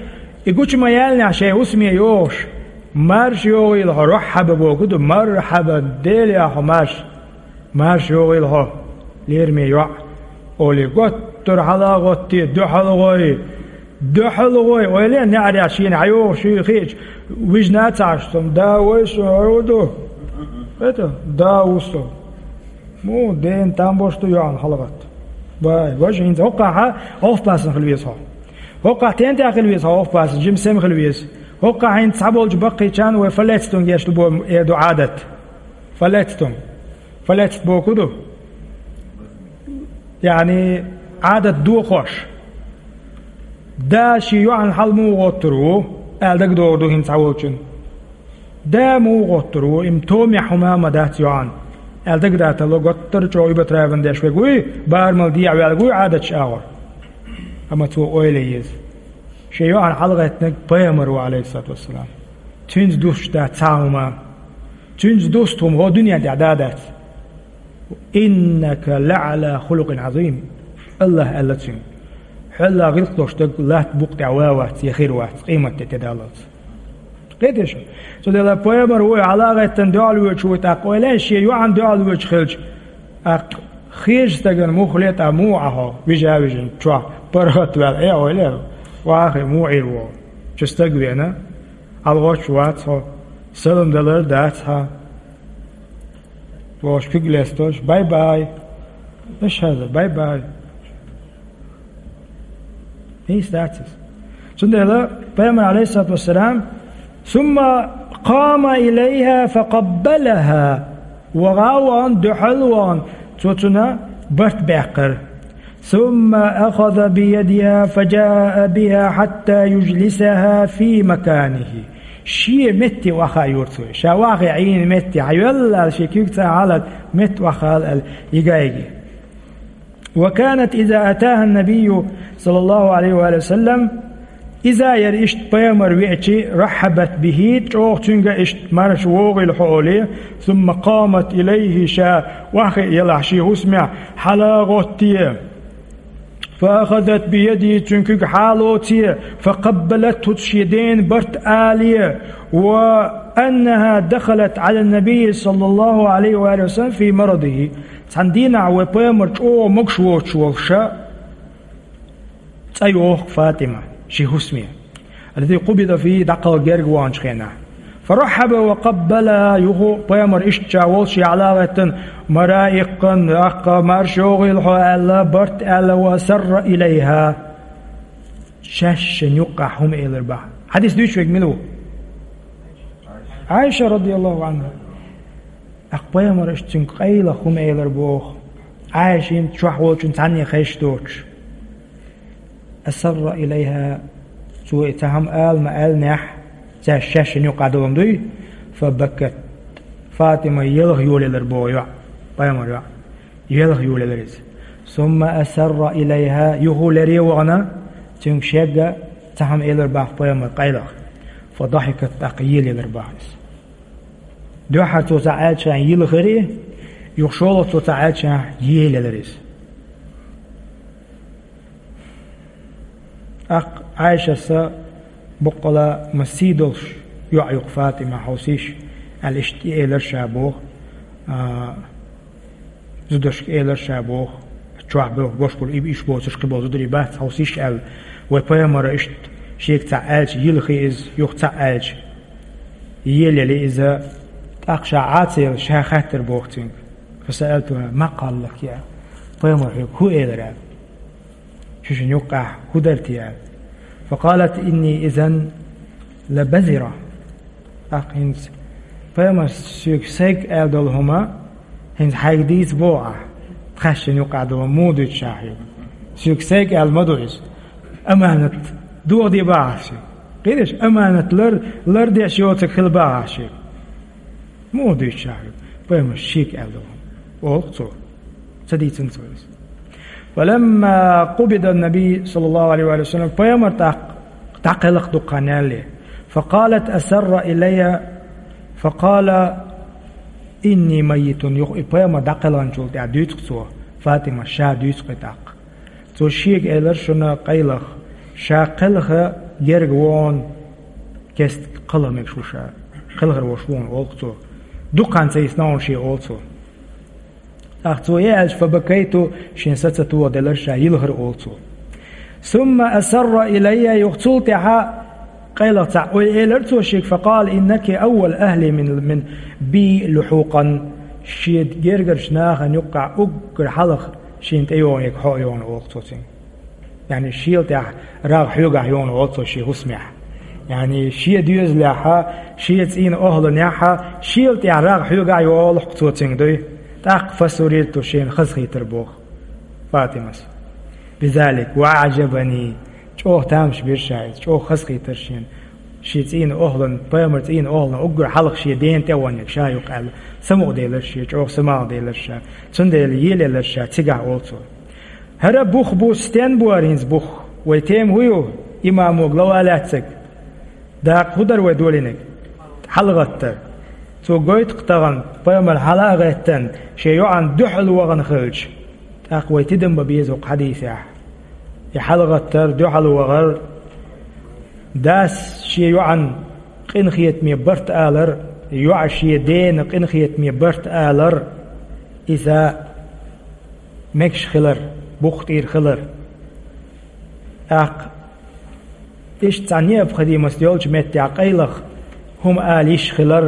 и гучу ма яьллинехь шайн хӀусаме йохуш: «Марша йогӀийла хьо, рохьаба», боху ду, «Мархьаба, Дела яхьа хьо, марша». «Марша йогӀийла хьо, лераме йоӀ», олий, готтара хьала а гӀоттий, дуьхьал гӀой, дуьхьал гӀой, ойла е, неӀарехь шена хьайогӀуш хиъча, вижна а ца Ӏаш, цунна: «Да вай со, хӀун ду?» Это, «Да ву со». Муха дена там бош ду йоӀана хьалагӀатта? Бай, важа хӀинца хӀокхахьа овпасан хила веза хьо. ХӀокхахь тентехь хила веза хьо овпасан, жима сема хила веза. ХӀокхахь хӀинца цхьаболчу баккхийчарна вай фалецтунг еш ду бо, э, ду Ӏадат. Фалецтунг. Фалецт боху ду? Яъни, Ӏадат дохош. Да шен йоӀана хьала муха гӀоттур ву, аьлла дагадогӀур ду хӀинца цхьаволчунна. Да муха гӀоттур ву, и-м томехь хӀума ма дац йоӀана, аьлла дагадатало, готтара чӀогӀа уьбатраван деш верг вуй, барамал дехьаваьлларг вуй Ӏадаташ агӀор. Амма цо ойла е еза. Шен йоӀана хьалагӀеттинарг пайхамар ву, алейхиссалату вассалам. Цуьнца дустуш дац цхьа а хӀума. Цуьнца дуста хӀума хӀокху дуьнен тӀехь да а дац. «Иннака лаӀала хулукъин Ӏазим». АллахӀа аьлла цуьнга: «Хьол гӀиллакх долуш дерг латта букъа тӀехь ван вац, я хир вац, къематде тӀедаллалц». Кхетий шу? Цундела пайхамар вуй, хьала а гӀеттина дуьхьал воьдуш вуй, тӀаккха ойла е, шен йоӀана дуьхьал воьдуш хилча, тӀаккха хезачу стагана муха ле, тӀаккха муха Ӏа хьо, вижа а вижина, чохь паргӀат ваьлла, э, ойла е, вахе, муха Ӏийр ву хьо? Чу стаг веана, хьалагӀоттуш вац хьо, салам далар а дац хьан. Вовш куьг лестош: «Бай-бай». Иш хьаза: «Бай-бай». Нийса дац иза. Цундела пайхамар, алейхиссалату вассалам: «Сумма къама илайха факъаббалаха». Ваха а вахана, дуьхьал а вахана, цо цунна барт баьккхира. «Сумма ахаза биядиха фаджаа биха хьатта юджлисаха фи маканихи». Шен метте охьахаайора цо. Ша охьахиъна метте хьайоьллал, шен куьг ца хьалад, метте охьахаал аьлла, йига а йиги. «Ва канат иза атаха набийю, саллаллаху алейхи ва саллям», иза яра иштта пайхамар веачи, «раххьабат бихи», чӀогӀа цуьнга иштта: «Марша вогӀийла хьо», олий, «сумма къамат илайхи», ша охьахиъна елахь шен хӀусамехь, хьала а гӀоттий. «Фа ахазат биядихи», цуьнан куьг хьалоций, «фа къаббалатху», шен дена барт алий, «ва аннаха дахалат Ӏала набийи, саллаллаху алейхи ва саллям, фи марадихи». Цхьана дийнахь вай пайхамар чӀогӀа могуш воцуш волуш ша цӀа йоху Фатима шен хӀусаме. Аллази къубида фийхи, дӀакхалха герга ваханчу хенахь. «Фа раххьаба ва къаббала», юха пайхамар иштта ша волуш яхьла а гӀеттина, мара а иккхина, «Аккха, марша йогӀийла хьо», аьлла, барт аьлла, «ва асарра илайха». Шаьш шен юккъахь хӀума элира боху. Хьадис дуьйцуш верг мила ву? Ӏайша, радияллаху анхьа. ТӀаккха пайхамар иштта цуьнга къайлаха хӀума элира боху. Ӏайшина чохь волчун цхьанне хезаш доцуш. «Асарра илайха», цо и цхьа хӀума ала ма-аьллинехь, цаьрша шаьш шен юккъахь долу дуй, «фа бакат». Фатима елха йолаелира боху йоӀ, пайхамар йоӀ. Елха йолаелира иза. «Сумма асарра илайха», юха лере а вахана, цуьнга шегга цхьа хӀума элира боху пайхамар къайлаха. «Фа дахикат», тӀаккха елаелира боху иза. Дуьххьара цо цхьаъ аьллачхьана йилхира, юха шолгӀа цо цхьаъ аьллачхьана елаелира иза. ТӀаккха Ӏайшас боккъала ма сий долуш йоӀ ю-кх Фатима, хьовсийша, аьлла, иштта тӀеэлира ша боху, а, зударшка элира ша боху, чохь боьху, бош болу, и иша боцурш кхин болу зударий бац, хьовсийша аьлла, вай пайхамара иштта шега цхьаъ аьлча йилхи иза, юха цхьаъ аьлча елаели иза, тӀаккха ша Ӏа ца елла, ша хаьттира боху цуьнга. «Фасаалтуха, ма къала лаки», аьлла. Пайхамар хьоьга хӀун элира аьлла? Шу шун юккъехь хӀун дара те аьлла. «Факъалат инни изан лабазира». ТӀаккха хӀинца пайхамар соьга сайга аьлла долу хӀума, хӀинца хьайга дийца боху ахь, тхаьш шун юккъехь долу хӀума муха дуьйцу ша хьоьга? Соьга сайга аьлла ма ду иза. Аманат дохаде боху ахь шега. Кхеташ, аманат лар-, лардеш йоцург хила боху ахь шега. Муха дуьйцу ша хьоьга? Пайхамар шега аьлла долу хӀума, олу-кх цо. Ца дийцина цо иза. «Фаламма къубида набий, саллаллаху алейхи ва саллям», пайхамар тӀаккха дӀакхелхина дукха хан ялале. «Факъалат асарра илайя, факъала инни майитун». Юха и пайхамар дӀакхелхинчул тӀаьхьа дуьйцу-кх цо, Фатима, ша дуьйцу-кх и тӀаккха. Цо шега элира шуна къайлаха, ша кхелха герга вон кест кхалха мегаш ву ша, кхелхар вош вон, олу цо. Дукха хан ца йисна вон шен, олу цо. ТӀаккха цо и аьлча, фабакайту, шен са ца тоха делира ша, йилхира, олу цо. Сумма асарра илайя, юха цул тӀаьхьа къайлаха цхьаъ ой элира цо шега, факъала, иннаки аввал ахли мин, мин би лухьукъан, шен гергарчу нахана юккъехь уггар хьалха шена тӀейогӀу ерг хьо а йогӀу, олу цо цуьнга. Яъни шел тӀехь рагӀ хьоьгахь йогӀу, олу цо шен хӀусамехь. Яъни шен доьзалехьа, шен цӀийнан охӀланехьа, шел тӀехь рагӀ хьоьгахь йогӀу-кх цо цуьнга дуй. ТӀаккха фасурирту, шена хазахийтира боху Фатимас. Бизалик, ва аӀжабани, чӀогӀа тамаш бира ша иза, чӀогӀа хазахийтира шена. Шен цӀийнан охӀлан, пайхамар цӀийнан охӀлан уггар хьалха шен дена тӀе а ваннарг ша ю-кх аьлла, самукъаделира шен, чӀогӀа самукъаделира ша. Цундела елаелира ша цигахь, олу цо. ХӀара бух бу, стен бу хӀара хӀинца бух? Вай тема хӀун ю, имамо, глава лаьцнарг? Дакъа хӀун дара вай долийнарг? ХьалагӀаттар. Цо гойту-кх тахана, пайхамар хьала а гӀеттина, шен йоӀана дуьхьал вахана хилча. ТӀаккха вай тидам бан беза хӀокху хьадисехь. И хьалагӀаттар, дуьхьал вахар, дас шен йоӀана къинхетаме барт алар, йоӀа шен дена къинхетаме барт алар, иза мегаш хилар, бух тӀера хилар. ТӀаккха иштта цхьа необходимость йолчу меттехь къайлаха хӀума ала йиш хилар,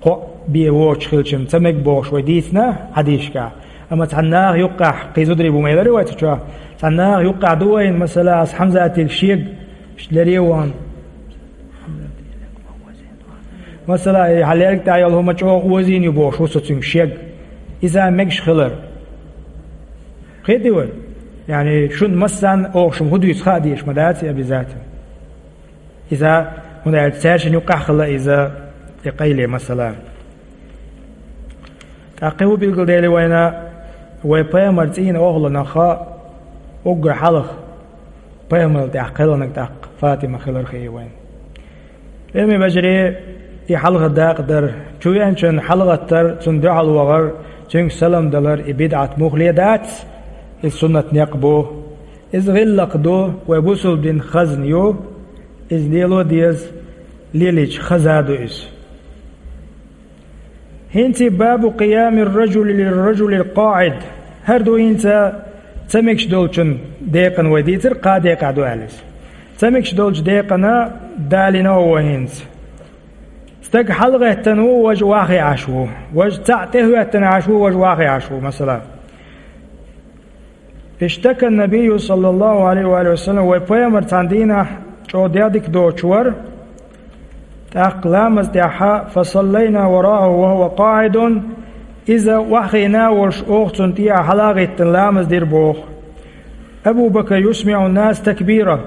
кхоъ бен воцуш хилча-м ца мега бохуш вай дийцина хьадисашкахь. Амма цхьана наха юккъехь, кхин зударий бу ма элира вай цу чохь, цхьана наха юккъехь ду вайна, масала, аса Хьамзатига шега лереван. Масала, и хьан лерга тӀехь йолу хӀума чӀогӀа озийна ю бохуш ву со цуьнга шега. Иза мегаш хилар. Кхетий вай? Яъни шуна массарна оха шуна хӀун дуьйцу хаа дезаш ма дац и обязательно. Иза, хӀунда аьлча цаьршинна юккъехь хилла иза, и къайле, масала. ТӀаккха кхин хӀун билгалдели вайна, вай пайхамар цӀийнан охӀланах уггар хьалха пайхамарал тӀаьхьа кхелхинарг тӀаккха Фатима хилар хии вайна. Ӏилман вежарий, и хьалха дакъа дара. Чу веанчунна хьалагӀаттар, цунна дуьхьал вахар, цуьнга салам далар, и бидӀат муххале дац, и суннат некъ бу. Иза гӀиллакх ду, вай бусулба дин хазна ю, иза лело деза, лелийча хаза ду иза. ХӀинца бабу къиямир ражули лир ражулил къаӀид. ХӀара ду хӀинца ца мегаш долчун декъана вай дийцира, кхаа декъехь ду аьлла иза. Ца мегаш долчу декъана далийна вай хӀинца. Стаг хьалагӀеттина ву, важа охьахиъна Ӏаш ву. Важа цхьаъ тӀехӀоьттина Ӏаш ву, важа охьахиъна Ӏаш ву, масала. Иштака набийю, саллаллаху алейхи ва саллям, вай пайхамар цхьана дийнахь чӀогӀа дика доцуш вара, тӀаккха ламаз тӀехьа, фасаллайна варагӀаху ва хӀува къаӀидун, иза охьахиъна а волуш, оха цунна тӀехьа хьала а гӀиттина ламаз дира боху. Абу Бакр юсмиӀу нас такбира,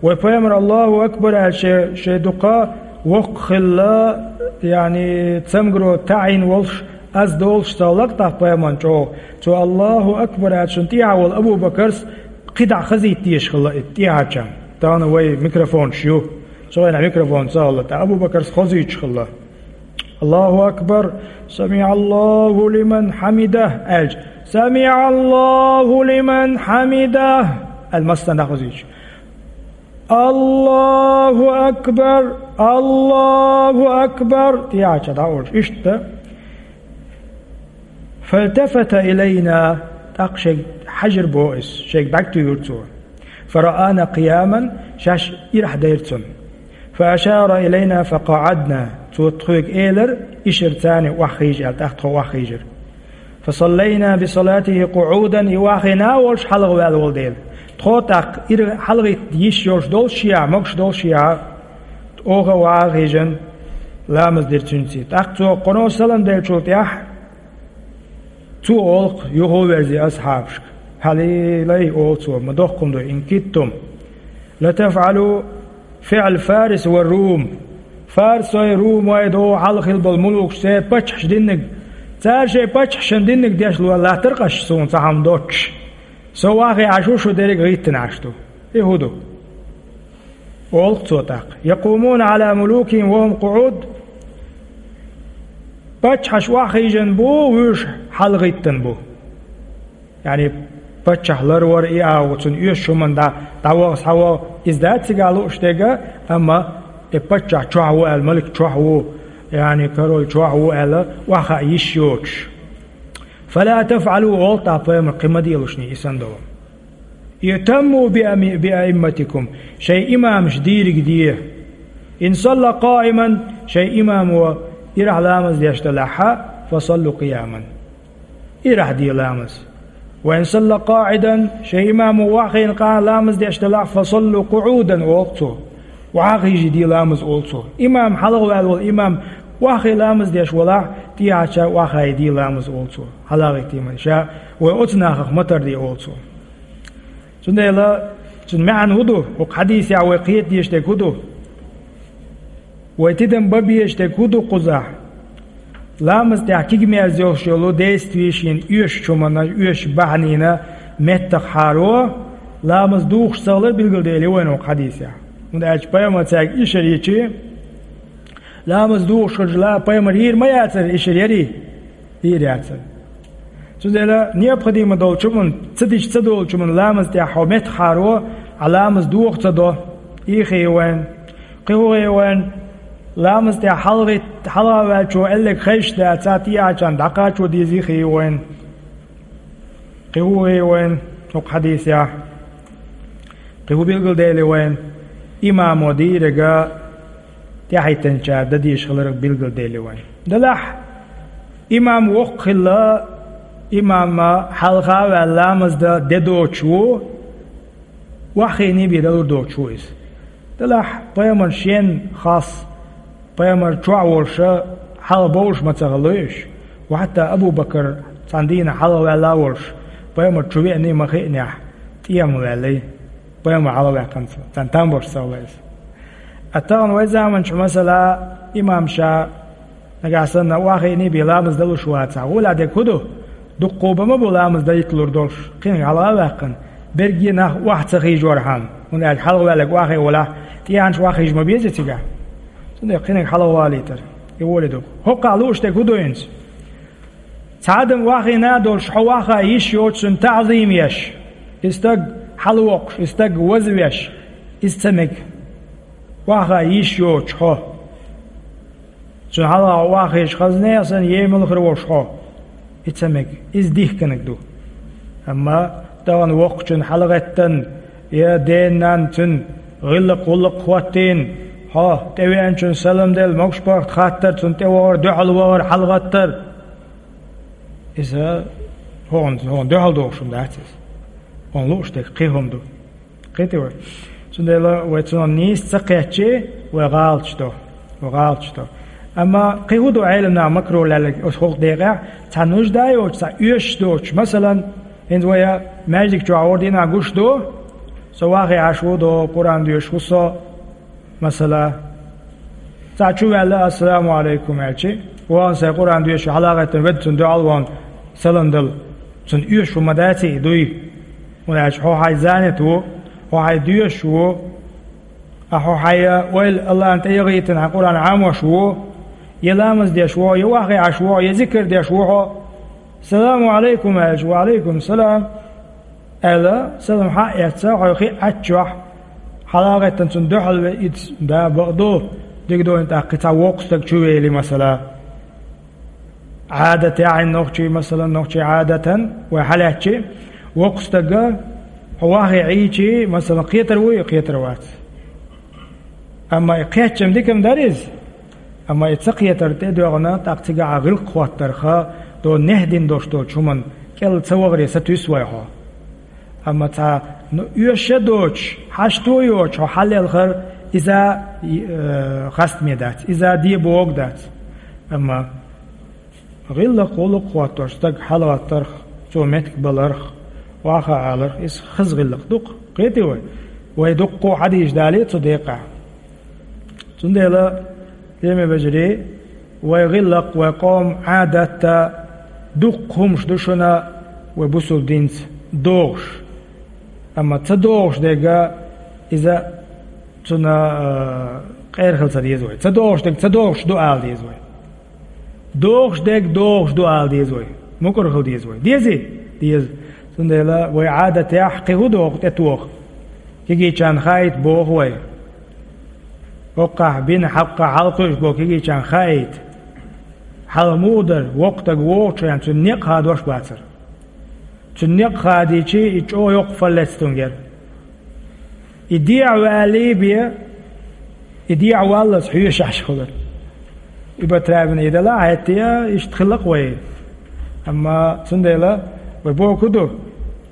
вай пайхамар Аллаху акбар аьлла шен, шен дукха воккха хилла, яъни цамгаро таӀийна волуш, аз долуш ца хилла-кх тӀаккха пайхамарна чӀогӀа. Цо Аллаху акбар аьлчун тӀехьа волу Абу Бакрс кхидӀа хазийта дезаш хилла и тӀехьарчарна. Тахана вай микрофонаш ю. Цу хенахь микрофон ца хилла, ткъа Абу Бакрс хозуьйтуш хилла. Аллаху акбар, самиӀаллаху лиман хьамидах аьлча, самиӀаллаху лиман хьамидах аьлла массарна дӀахозуьйтуш. Аллаху акбар! Аллаху акбар! ТӀехьа ча дӀа олуш. Иштта. Фалтафата илайна, тӀаккха шайга хьаьжира боху иза, шайга бӀаьрг туьйхира цо. Фараана къияман, шаьш ирахь дайра цунна. Фаашара илайна факъаӀадна, цо тхоьга элира, ишарца охьахийжа аьлла, тӀаккха тхо охьахийжира. Фасаллайна бисалатихи къуӀудан, и охьахиъна а волуш хьалхаваьлла волу дела. Тхо тӀаккха ира хьалагӀитта йиш йолуш долуш шиъ, могуш долуш шиъ, оха а охьахийжина, ламаз дира цуьнца. ТӀаккха цо кхано салам деллачул тӀаьхьа, цо олу-кх юха а верзий асхьабашка. Хьалилай, олу цо, ма доккха хӀума ду, ин киттум латафӀалу фиӀл Фарис ва Рум. Фарсой, румой, догӀу хьалха хилла болу мулукаш, церан паччахьаш динниг. Цара шайн паччахьашна динниг деш латтара-кх аш суна цхьа хӀума доцуш. Со охьахиъна Ӏаш ву, шу дерриг гӀиттина Ӏаш ду. И хӀун ду? Олу-кх цо тӀаккха. Якъумуна Ӏала мулукихим ва хӀум къуӀуд. Паччахьаш охьахийжина бу, вуьш хьалагӀиттина бу. Яъни паччахь ларвар и агӀо, цунна оьшучу хӀуманна дӀа, дӀаваха, схьаваха, иза дац цигахь лууш дерг, амма и паччахь чохь ву аьлла, малик чохь ву, яъни король чохь ву аьлла, охьахаа йиш йоцуш. «Фала тафӀалу», олу тӀаккха пайхамар, кхин ма делаш, и санна долу. «Иътамму биаимматикум», шайн имамаш дийриг де. «Ин салла къаиман», шайн имамо ирахь ламаз деш делахь, «фасаллу къияман». Ирахь де ламаз. «Ва ин салла къаӀидан», шайн имамо охьахиъна къа ламаз деш делахь, «фасаллу къуӀудан», олу цо. Охьахиъна де ламаз, олу цо. Имам хьалха ваьлла волу имам охьахиъна ламаз деш валахь, тӀехьача охьахиъна де ламаз, олу цо. Хьалагӏиттийман ша, вай оцу нахах ма тарде, олу цо. Цундела цуьнан маьӀна хӀун ду, хӀокху хьадисехь вай кхета дезаш дерг хӀун ду? Вай тидам бан безаш дерг хӀун ду кхузахь? Ламаз тӀехь кегамерза йолуш йолу действие шена оьшучу хӀуманна, оьшучу бахьанина меттахъхьаро, ламаз духуш ца хилар билгалдели вайна хӀокху хьадисехь. ХӀунда аьлча пайхамар цаьрга ишар йичи, ламаз духуш хилча, пайхамар йийр ма яцара ишар, ярий? Йийр яцара. Цундела необходимо долчу хӀуманна, ца дича ца долчу хӀуманна ламаз тӀехь хьо меттахъхьаро, а ламаз доху ца до, и хи вайн. Кхин хӀун хи вайн? Ламаз тӀехь хьалагӀитта, хьалха ваьллачо аьлларг хезаш дацахь, тӀехьачарна дӀакхачо дезий хи вайн. Кхин хӀун хи вайн хӀокху хьадисехь? Кхин хӀун билгалдели вайн? Имамо дийриг тӀаьхьахӀиттинчара дан дезаш хиларх билгалдели вайн. Делахь, имам воккха хилла, имам хьалха а ваьлла ламаз дан де доцуш ву, охьахиъний бен далур доцуш ву иза. Делахь, пайхамар шен хас, пайхамар чохь волуша хьалха бовлуш ма ца хилла уьш. Ва хьатта Абу Бакр цхьана дийнахь хьалха ваьлла а волуш, пайхамар чу веаний ма хиънехь, тӀема ваьллий. Пайхамар хьалха ваьккхина цо, царна там беш ца хилла иза. Ткъа тахана вай заманчохь, масала, имам ша нагахь санна охьахиъний бен ламаз далуш вацахь, гӀоле дерг хӀун ду? Дуккха бан ма бу ламаз дан йитталур долуш, кхиниг хьалха а ваьккхина, берриге нах охьа ца хиъчорхьама, хӀунда аьлча хьалха ваьлларг охьахиъна валахь, тӀехьанча охьахиъча ма беза цигахь. Цундела кхиниг хьалха валийтар, и гӀоле ду. ХӀокхахь лууш дерг хӀун ду хӀинца? Цхьа адам охьахиъна а долуш, хьо охьахаа йиш йоцуш, цунна таӀзим еш, и стаг хьалавоккхуш, и стаг вазвеш, иза ца мега. Охьахаа йиш йоцуш хьо, цунна хьалха охьахиъча, хазне а санна, емал хир волуш хьо, и ца мега. Иза дихкинарг ду. Амма тахана воккхачун хьалагӀеттан, я ден-нанна цуьнан гӀиллакх-гӀуллакх хӀоттийна, хьо тӀевеанчунна салам делла, могуш-паргӀат хаттар, цунна тӀевахар, дуьхьал вахар, хьалагӀаттар. Иза хьуна, хьуна дуьхьал дохуш хӀума дац иза. Хьуна лууш дерг кхин хӀума ду. Кхетий вай? Цундела вай цунах нийса ца кхетчи, вай гӀалаташ до. Вай гӀалаташ до. Амма кхин хӀун ду Ӏеламнаха макро лаьлларг оцу хӀокху декъехь, цхьа нужда йоцуш, цхьа оьшуш доцуш? Масалан, хӀинца вай маьждиг чохь хӀора дийнахь гуш ду, со вахе Ӏаш ву до, Къуръан доьшуш ву со, масала, цхьаъ чу ваьлла, «Ассаламу Ӏалайкум» аьлчи, вахана сайн Къуръан доьшуш хьалагӀеттина ведда, цунна дуьхьал вахана салам дала, цунна оьшуш хӀума ма дац и, дуй? ХӀунда аьлча хьо хьайн занят ву, хьо хьайн доьшуш ву, а хьо хьайн ойла Аллахьна тӀе яхийтина, хьайн Къуръан Ӏамош ву, я ламаз деш ву, я вахе Ӏаш ву, я зикр деш ву хьо. «Саламу Ӏалайкум» аьлча, «Ва Ӏалайкум салам» аьлла, салам хьа а эцна, хьо хи Ӏаччохь, хьалагӀеттина цунна дуьхьал ве, иза да бакъ ду, дика ду, тӀаккха кхин цхьа воккха стаг чу вели, масала. Ӏадатехь нохчий, масала, нохчий Ӏадатан вай хьалаьцчи, воккха стага хьо вахе Ӏийчи, масала, кхетар вуй, кхетар вац. Амма и кхеччам дика-м дара иза. Амма и ца кхетар тӀе а доьгӀна, тӀаккха цигахь гӀиллакх хӀоттарх, до нехь дина долуш долчу хӀуманна кӀел ца вахаре сатуьйсу вай хьо. Амма цхьа, ну, оьшуш а доцуш, хьашто а йоцуш хьо хьаллелхар, иза, э, хастаме дац, иза де богу дац. Амма гӀиллакх-гӀуллакх хӀоттош стаг хьалагӀаттарх, цо меттиг баларх, охьахаа аларх, иза хаза гӀиллакх ду-кх. Кхетий вай? Вай дуккха хьадисаш далий цу декъехь. Цундела, лераме вежарий, вай гӀиллакх, вай къоман Ӏадат а, дуккха хӀумаш ду шуна вай бусулба динца догӀуш. Амма ца догӀуш дерг иза цунна, э, къера хила ца деза вай. Ца догӀуш дерг ца догӀуш ду ала деза вай. ДогӀуш дерг догӀуш ду ала деза вай. Мукъар хила деза вай. Дезий? Деза. Цундела вай Ӏадатехь кхин хӀун доху тӀетоха? Кегийчарна хаийта боху вай. ХӀокхахь бина хьакха хьалакхуьуш бо кегийчарна хаийта. Хьала муха дара, воккха стаг вогӀучу хенахь цуьнан некъ хадош бацара. Цуьнан некъ хадийчи, и чӀогӀа йоккха фаллец тунгера. И дехьа валий бе, и дехьа валлалц хьоьшуш хуьлура. И батрабина и дала хьаьттия, иштта хилла-кх вай. Амма цундела вай боху хӀун ду,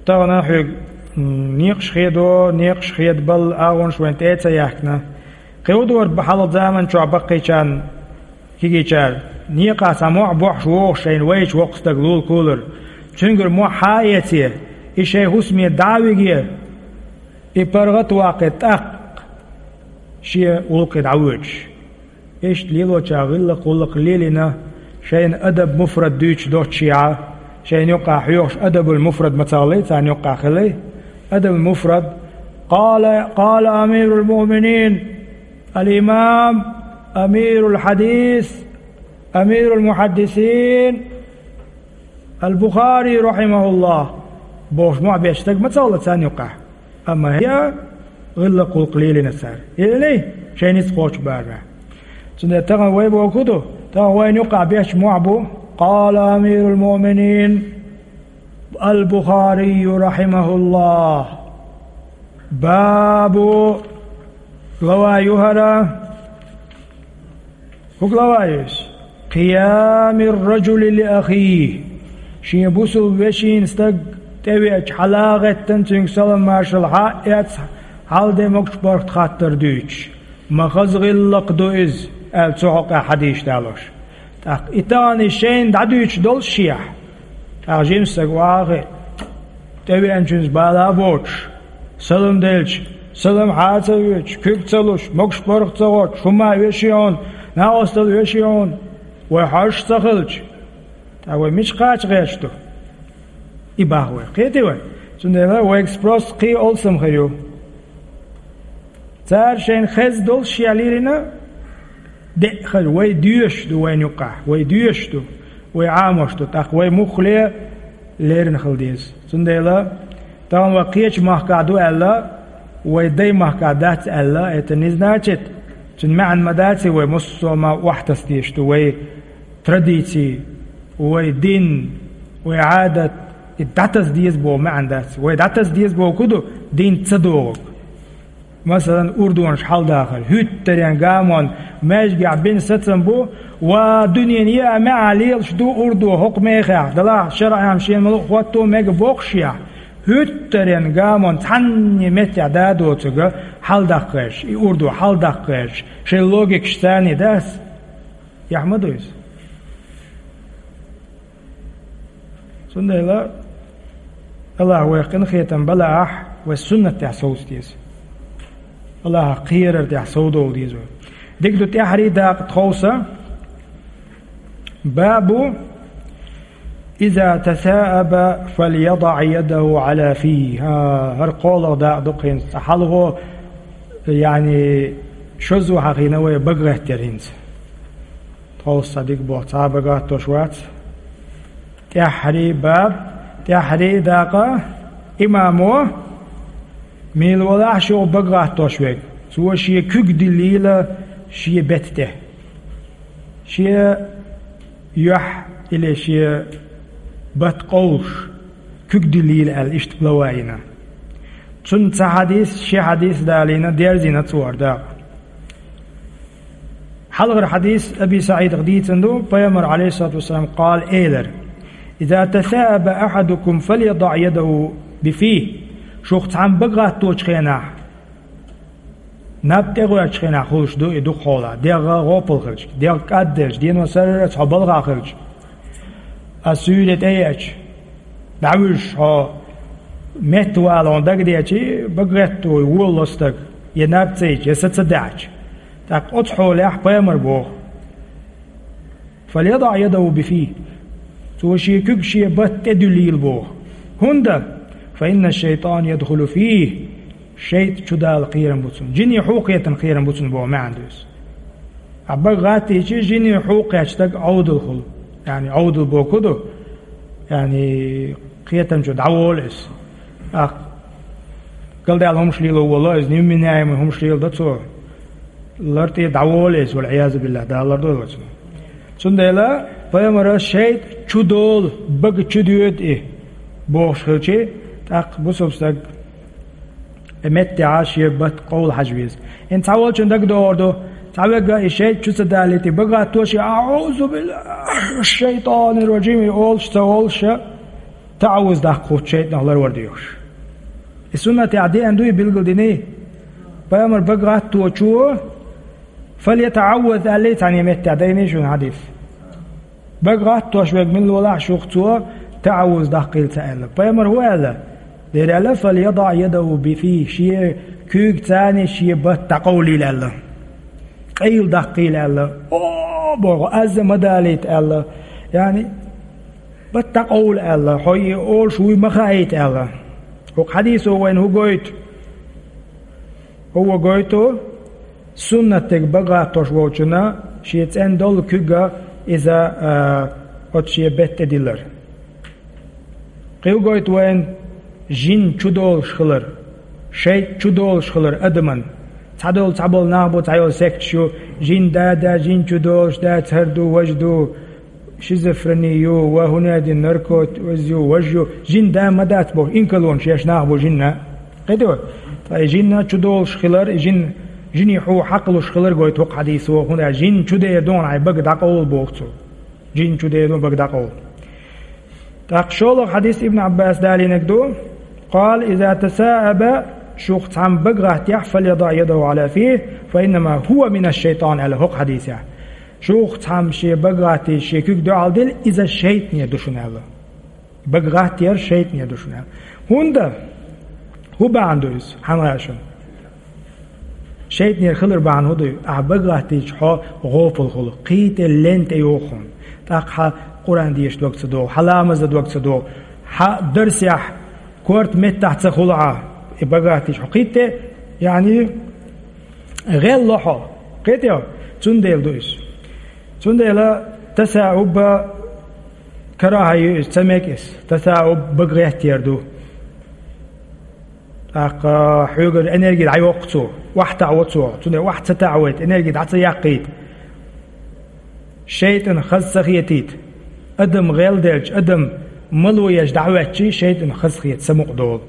тахана хьоьга, м, некъаш хедо, некъаш хедабалла агӀонаш вайн тӀе а ца яьхкина. Кхин хӀун дора хьалха заман чохь баккхийчарна, кегийчара, некъа цхьа мохь бохьуш вогӀуш шайна вайчу воккха стаг лулакулара. Цуьнгара мохь хьа а эций, и шайн хӀусаме дӀа а вигий, и паргӀат а ваккхий, тӀаккха шен гӀуллакхе дӀавоьдуш. Иштта лелочара гӀиллакх-гӀуллакх лелийна, шайна адаб муфрад дуьйцуш доццушехь, шайна юккъехь хьоьхуш адабул муфрад ма ца хилий, царна юккъехь хилий. Адабул муфрад. Къала, къала амирул муъминин, ал-имам, амирул хьадис, амирул мухьаддисин, ал-Бухари, рахьимахуллахӀ, бохуш мохь беш стаг ма ца хилла царна юккъехь. Амма хӀара гӀиллакх-гӀуллакх лелийна цара. Лелийний? Шайн ницкъ кхочу барамехь. Цундела тахана вай боху хӀун ду? Тахана вайна юккъехь беш мохь бу: къала амирул муъминин ал-Бухарийю, рахьимахуллахӀ. Бабу, глава ю хӀара. ХӀун глава ю иза? Къиямир-раджули ли ахихӀ. Шен бусулба вешина стаг тӀевеача, хьала а гӀеттина, цуьнга салам-маршалла хьа а эцна, хьал-де, могуш-паргӀат хаттар дуьйцуш. Ма хаза гӀиллакх ду иза, аьлла, цу хьокъехь хьадисаш далош. ТӀаккха и тахана шайна дӀадуьйцуш доллушехь, тӀаккха жима стаг охьа а хиъна, тӀевеанчуьнца бала а боцуш, салам делча, салам хьа а ца оьцуш, куьг ца луш, могуш-паргӀат ца хоттуш, хӀума оьший хьуна, накъосталла оьший хьуна, вай хьожуш ца хилча, тӀаккха вай мича кхача гӀерташ ду? И боху вай. Кхетий вай? Цундела вайга спрос кхин а алсам хир ю. Цара шайна хезна доллушехь лелийна, деа хир, вай доьшуш ду вайна юккъехь, вай доьшуш ду, вай Ӏамош ду, тӀаккха вай муххале леррина хила деза. Цундела тахана вай кхечу махкахь ду аьлла, вай дай махкахь дац аьлла, это не значит, цуьнан маьӀна ма дац и, вай муссо а ма охьатаса дезаш ду, вай традиций, вай дин, вай Ӏадат, и дӀатаса деза боху маьӀна дац. Вай дӀатаса деза боху хӀун ду? Дин ца догӀург. Масалан, урдонаш хьаладахар. ХӀуьттаренна гамонна маьждигехь бина сацам бу, ва дуьненан еа маьӀна лелаш ду урдо хӀокху мехехь, делахь шарӀехь шена ма-луъу хӀотто мега бохушехь, хӀуьттаренна гамонна цхьанне меттехь да а доцург хьаладаккха гӀерташ, и урдо хьаладаккха гӀерташ, шайн логикаш царний дац? Яхь ма ду иза. Цундела АллахӀ вайх къинхетам балахь, вай суннатехь совца деза. АллахӀах кхерар тӀехь совдовла деза вай. Дика ду, тӀаьххьарий дакъа тховса. Бабу иза тасаъаба фальядаъ ядаху Ӏала фийхӀи. ХӀа, хӀара кхоалгӀа дакъа ду-кх хӀинца. Цкъа хьалхо, яъни, шозза хьахийна вай, бага гӀаттар хӀинца. Тховса цхьа дика боху, цхьа а бага гӀаттош вац. ТӀаьххьарий баб, тӀаьххьарий дакъа, имамо, мила валахь шух бага гӀаттош верг, цо шен куьг диллийла шен бетта тӀе. Шен юьхь или шен бат къовлуш, куьг диллийла аьлла, иштта глава йина. Цунна цхьа хьадис, ши хьадис далийна, дерзийна цо хӀара дакъа. Хьалхара хьадис Аби СаӀидах дийцина ду, пайхамар, Ӏалайхиссалату вассалам, къала, элира: «Иза тасаъаба ахьадукум фальядаъ ядаху бифийхӀи». Шух цхьамма бага гӀатточу хенахь, наб тӀегӀоьртучу хенахь хуьлуш ду и дукха хьолахь, дегӀ гӀопал хилча, дегӀ кӀадделча, дено сарралц хьо балха хилча, ас суьйре тӀееача, дӀавуьжуш хьо метта вала хьуна дагадеачий, бага гӀетто волало стаг, я наб ца йича, я са ца даьӀча. ТӀаккха оцу хьолехь пайхамар боху: «Фальядаъ ядаху бифийхӀи». Цо шен куьг шен бат тӀе дуьллийла боху. ХӀунда? «Фаинна шайтӀан ядхулу фийхӀи». ШайтӀа чудала кхерам бу цунна. Жине хьу кхетан кхерам бу цунна боху маьӀна ду иза. Ахь бага гӀаттийча, жине хьу кхетта стаг Ӏовдал хуьлу. Яъни Ӏовдал боху ду? Яъни Кхетам чу дӀаволу иза. ТӀаккха галдаьлла хӀумаш лело волу, иза невменяемый хӀумаш леладо цо. Лар тӀе дӀаволу иза, валь-Ӏиязу биллахӀ, Дала лардойла цунах. Цундела пайхамара шайтӀа чудолу, бага чудоьду и, бохуш хилчи, тӀаккха бусалба стаг и меттехь шен бат къовла хьажа веза. ХӀинца цхьаволчун дагадогӀур ду, цхьа вегга и шайтӀа чу ца далийта, и бага гӀаттош, и «АӀузу биллахӀи минаш-шайтӀанир-ражим» и олуш ца волуш, таӀавуз даккха хӀутту шайтӀанах ларвар доьхуш. И суннатехь деана дуй, билгалдиний? Пайхамар бага гӀатточо «фальятаӀавваз» аьллий цхьана меттехь, дайний шуна хьадис? Бага гӀаттош верг мила волахь шух, цо таӀавуз даккхийла ца аьлла. Пайхамар хӀун аьлла? Дера аьлла: «ФальядаӀ ядахӀу бифихӀ», шен куьйгаца шен бат дӀакъовлийла аьлла. Къайла даккхийла аьлла. О, боху, аз ма далийта аьлла. Яъни, бат дӀакъовла аьлла, хьо и олуш вуй ма хаийта аьлла. ХӀокху хьадисо вайна хӀун гойту? ХӀун гойту? Суннатдерг бага гӀаттош волчунна шен цӀена долу куьг иза, а, оцу шен бетта тӀедиллар. Кхин хӀун гойту вайна? Жин чудолуш хилар, шайтӀа чудолуш хилар адаман. Цхьадолу, цхьаболу нах бу, цхьайолу секташ ю, жин да, да, жин чудолуш, да, цхьа ду, важа ду, шизофрени ю, ва хӀун аьлла, наркот, ваз ю, важ ю, жин да ма дац боху, инкарлонаш еш нах бу жинна. Кхетий вай? Ткъа и жинна чудолуш хилар, и жин, жинийн хьу хьакхалуш хилар гойту хӀокху хьадисо, хӀунда аьлча жин чудер ду хьуна хьайн бага дӀакъовла боху цо. Жин чудер ду бага дӀакъовла. ТӀаккха шолгӀа хьадис Ибн Ӏаббаса далийнарг ду: «Къала: иза тасаӀаба», шух цхьамма бага гӀаттаяхь, «фальядаӀ ядахӀу Ӏала фихӀи, фаиннама хӀува минаш-шайтӀан», аьлла хӀокху хьадисехь. Шух цхьамма шен бага гӀаттийча шен куьг дуьхьал дилла, иза шайтӀанера ду шуна аьлла. Бага гӀаттаяр шайтӀанера ду шуна аьлла. ХӀунда? ХӀун бахьана ду иза? Хьан гӀа шуна? ШайтӀанера хилар бахьана хӀун ду? Ахьа бага гӀаттийча хьо гӀопал хуьлу, кхин тӀе лен тӀе йоху хьуна. ТӀаккха хьан Къуръан деша дог ца догӀу, хьан ламаз дан дог ца догӀу, хьан дарсехь корта меттахь ца хуьлу Ӏа, и бага гӀаттийча хьо кхин тӀе, яъни, гӀелло хьо. Кхетий вай? Цундела ду иза. Цундела тасаӀуб карахӀа ю иза, ца мега иза. ТасаӀуб бага гӀаттаяр ду. ТӀаккха хьоьгара энерги дӀайоккху цо, охьатаӀаво цо, цундела охьа ца таӀавайта, энерги дӀа ца яккхийта. ШайтӀанна хаза ца хетийта. Адам гӀелделча, адам мало еш дӀахӀоьттича, шайтӀанна хазахета, самукъа долу.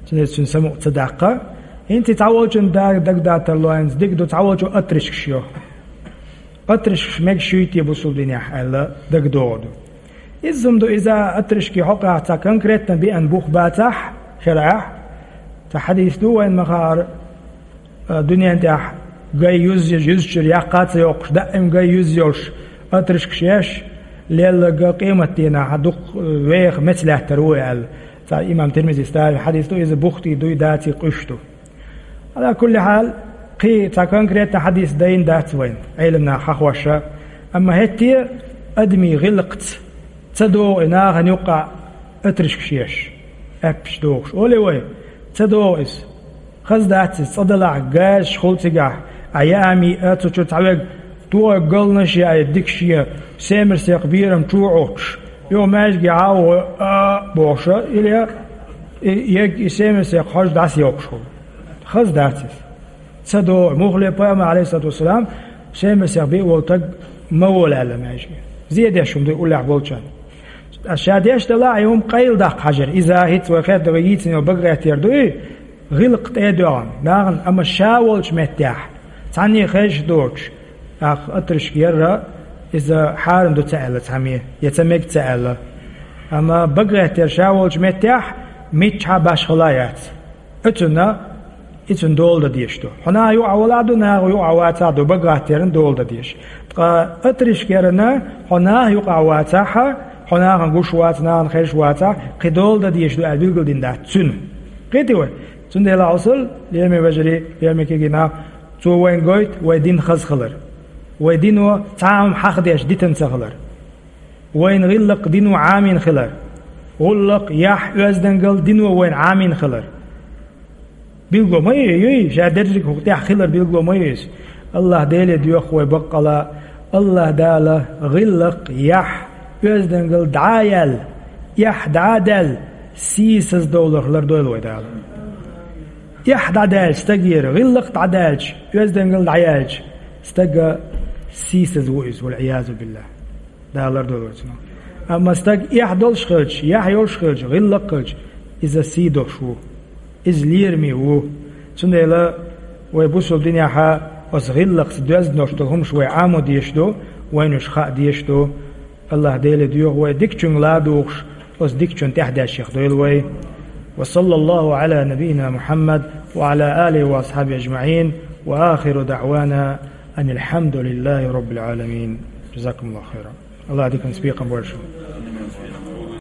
Цундела цуьнан самукъа ца даккха. ХӀинца цхьаволчун да-, дагадатар лоьнца дика ду, цхьаволчо отрыжкаш йо. Отрыжкаш мегаш юй те бусулба динехь аьлла дагадогӀу ду. Иза хӀума ду, иза отрыжки хьокъехь цхьа конкретно беана бух бацахь, шарӀехь, цхьа хьадис ду вайн ма-хаара, а, дуьнен тӀехь гай юз-, юзчуьра яккха а ца йоккхуш, даим гай юз йолуш, отрыжкаш еш, лелларг къематдийнахь дукха, э, веха меца лаьттар ву аьлла. Цхьа имам Тирмизис далийна хьадис ду, иза бухтий дуй, даций къуьш ду. Ала кулли хьал, кхин цхьа конкретно хьадис дайна дац вайн, Ӏеламнаха хьахоша, амма хӀетте а адамийн гӀиллакхца ца догӀу и нахана юккъехь отрыжкаш еш, аьппаш дохуш. Олий вай, ца догӀу иза. Хаза дац иза, цкъа далахь газаш хуьлу цигахь, а яа миъа цу чу цхьаверг, тохарг галнаш яа, дика шен семерсекх берам чу Ӏуттуш, юха маьждиге хьа а вой, а, бохуша, или я, и, ерг и семерсекх хьожа дӀасайоккхуш хуьлу. Хаза дац иза. Ца догӀу, муххале пайхамар, Ӏалайхиссалату вассалам, семерсекх биъ волу таг ма волу аьлла маьждиге. Зе деш хӀума ду уллехь болчарна. Ша деш далахь, и хӀума къайла даккха хьажар. Иза хӀинца вай хетта, вай йийцина йолу бага гӀаттаяр дуй, гӀиллакх тӀе а доьгӀна, нахана, амма ша волчу меттехь, цхьанне хезаш доцуш, тӀаккха отрыжка ярра, иза хьарам ду ца аьлла цхьамме, я ца мега ца аьлла. Амма бага гӀаттаяр ша волчу меттехь миччахьа башхала яц. Оцунна, и цунна дола дан дезаш ду. Хьо наха юкъахь валахь а ду, наха юкъахь вацахь а ду, бага гӀаттаярна дола дан дезаш. Ткъа отрыжка ярна, хьо наха юкъахь вацахь а, хьо нахана гуш вац, нахана хезаш вацахь, кхин дола дан дезаш ду аьлла билгалдина дац цуьнан. Кхетий вай? Цундела хьо сал, лераме вежарий, лераме кегий нах, цо вайна гойту вай дин хаза хилар. Вай дино цхьа а хӀума хьахдеш дитина ца хилар. Вайна гӀиллакх дино Ӏамийна хилар. ГӀуллакх, яхь, оьздангалла дино вайна Ӏамийна хилар. Билгало ма ю, юй, ша дерриг хӀокху тӀехь хилар билгало ма ю иза. АллахӀ Деле доьху вай баккъала, АллахӀ Дала гӀиллакх, яхь, оьздангалла дӀа а яьлла, эхь дӀа а даьлла, сийсаз довларх лардойла вай Дала. Эхь дӀадаьлча стагера, гӀиллакх дӀадаьлча, оьздангалла дӀаяьлча, стаг сийсаз ву иза, валь-Ӏиязу биллахӀ. Дала лардойла вай цунах. Амма стаг эхь долуш хилча, яхь йолуш хилча, гӀиллакх хилча, иза сий долуш ву. Иза лераме ву. Цундела вай бусалба динехь оцу гӀиллакхца доьзна долуш долу хӀумаш вай Ӏамо дезаш ду, вайна уьш хаа дезаш ду. АллахӀ Деле доьху вай дикачуьнга ладугӀуш, оцу дикачунна тӀаьхьадеш яхдойла вай. وصلى الله على نبينا محمد وعلى آله وأصحابه أجمعين، وآخر دعوانا أن الحمد لله رب العالمين. جزاكم الله خيرا. АллахӀ диканца бекхам бойла шун.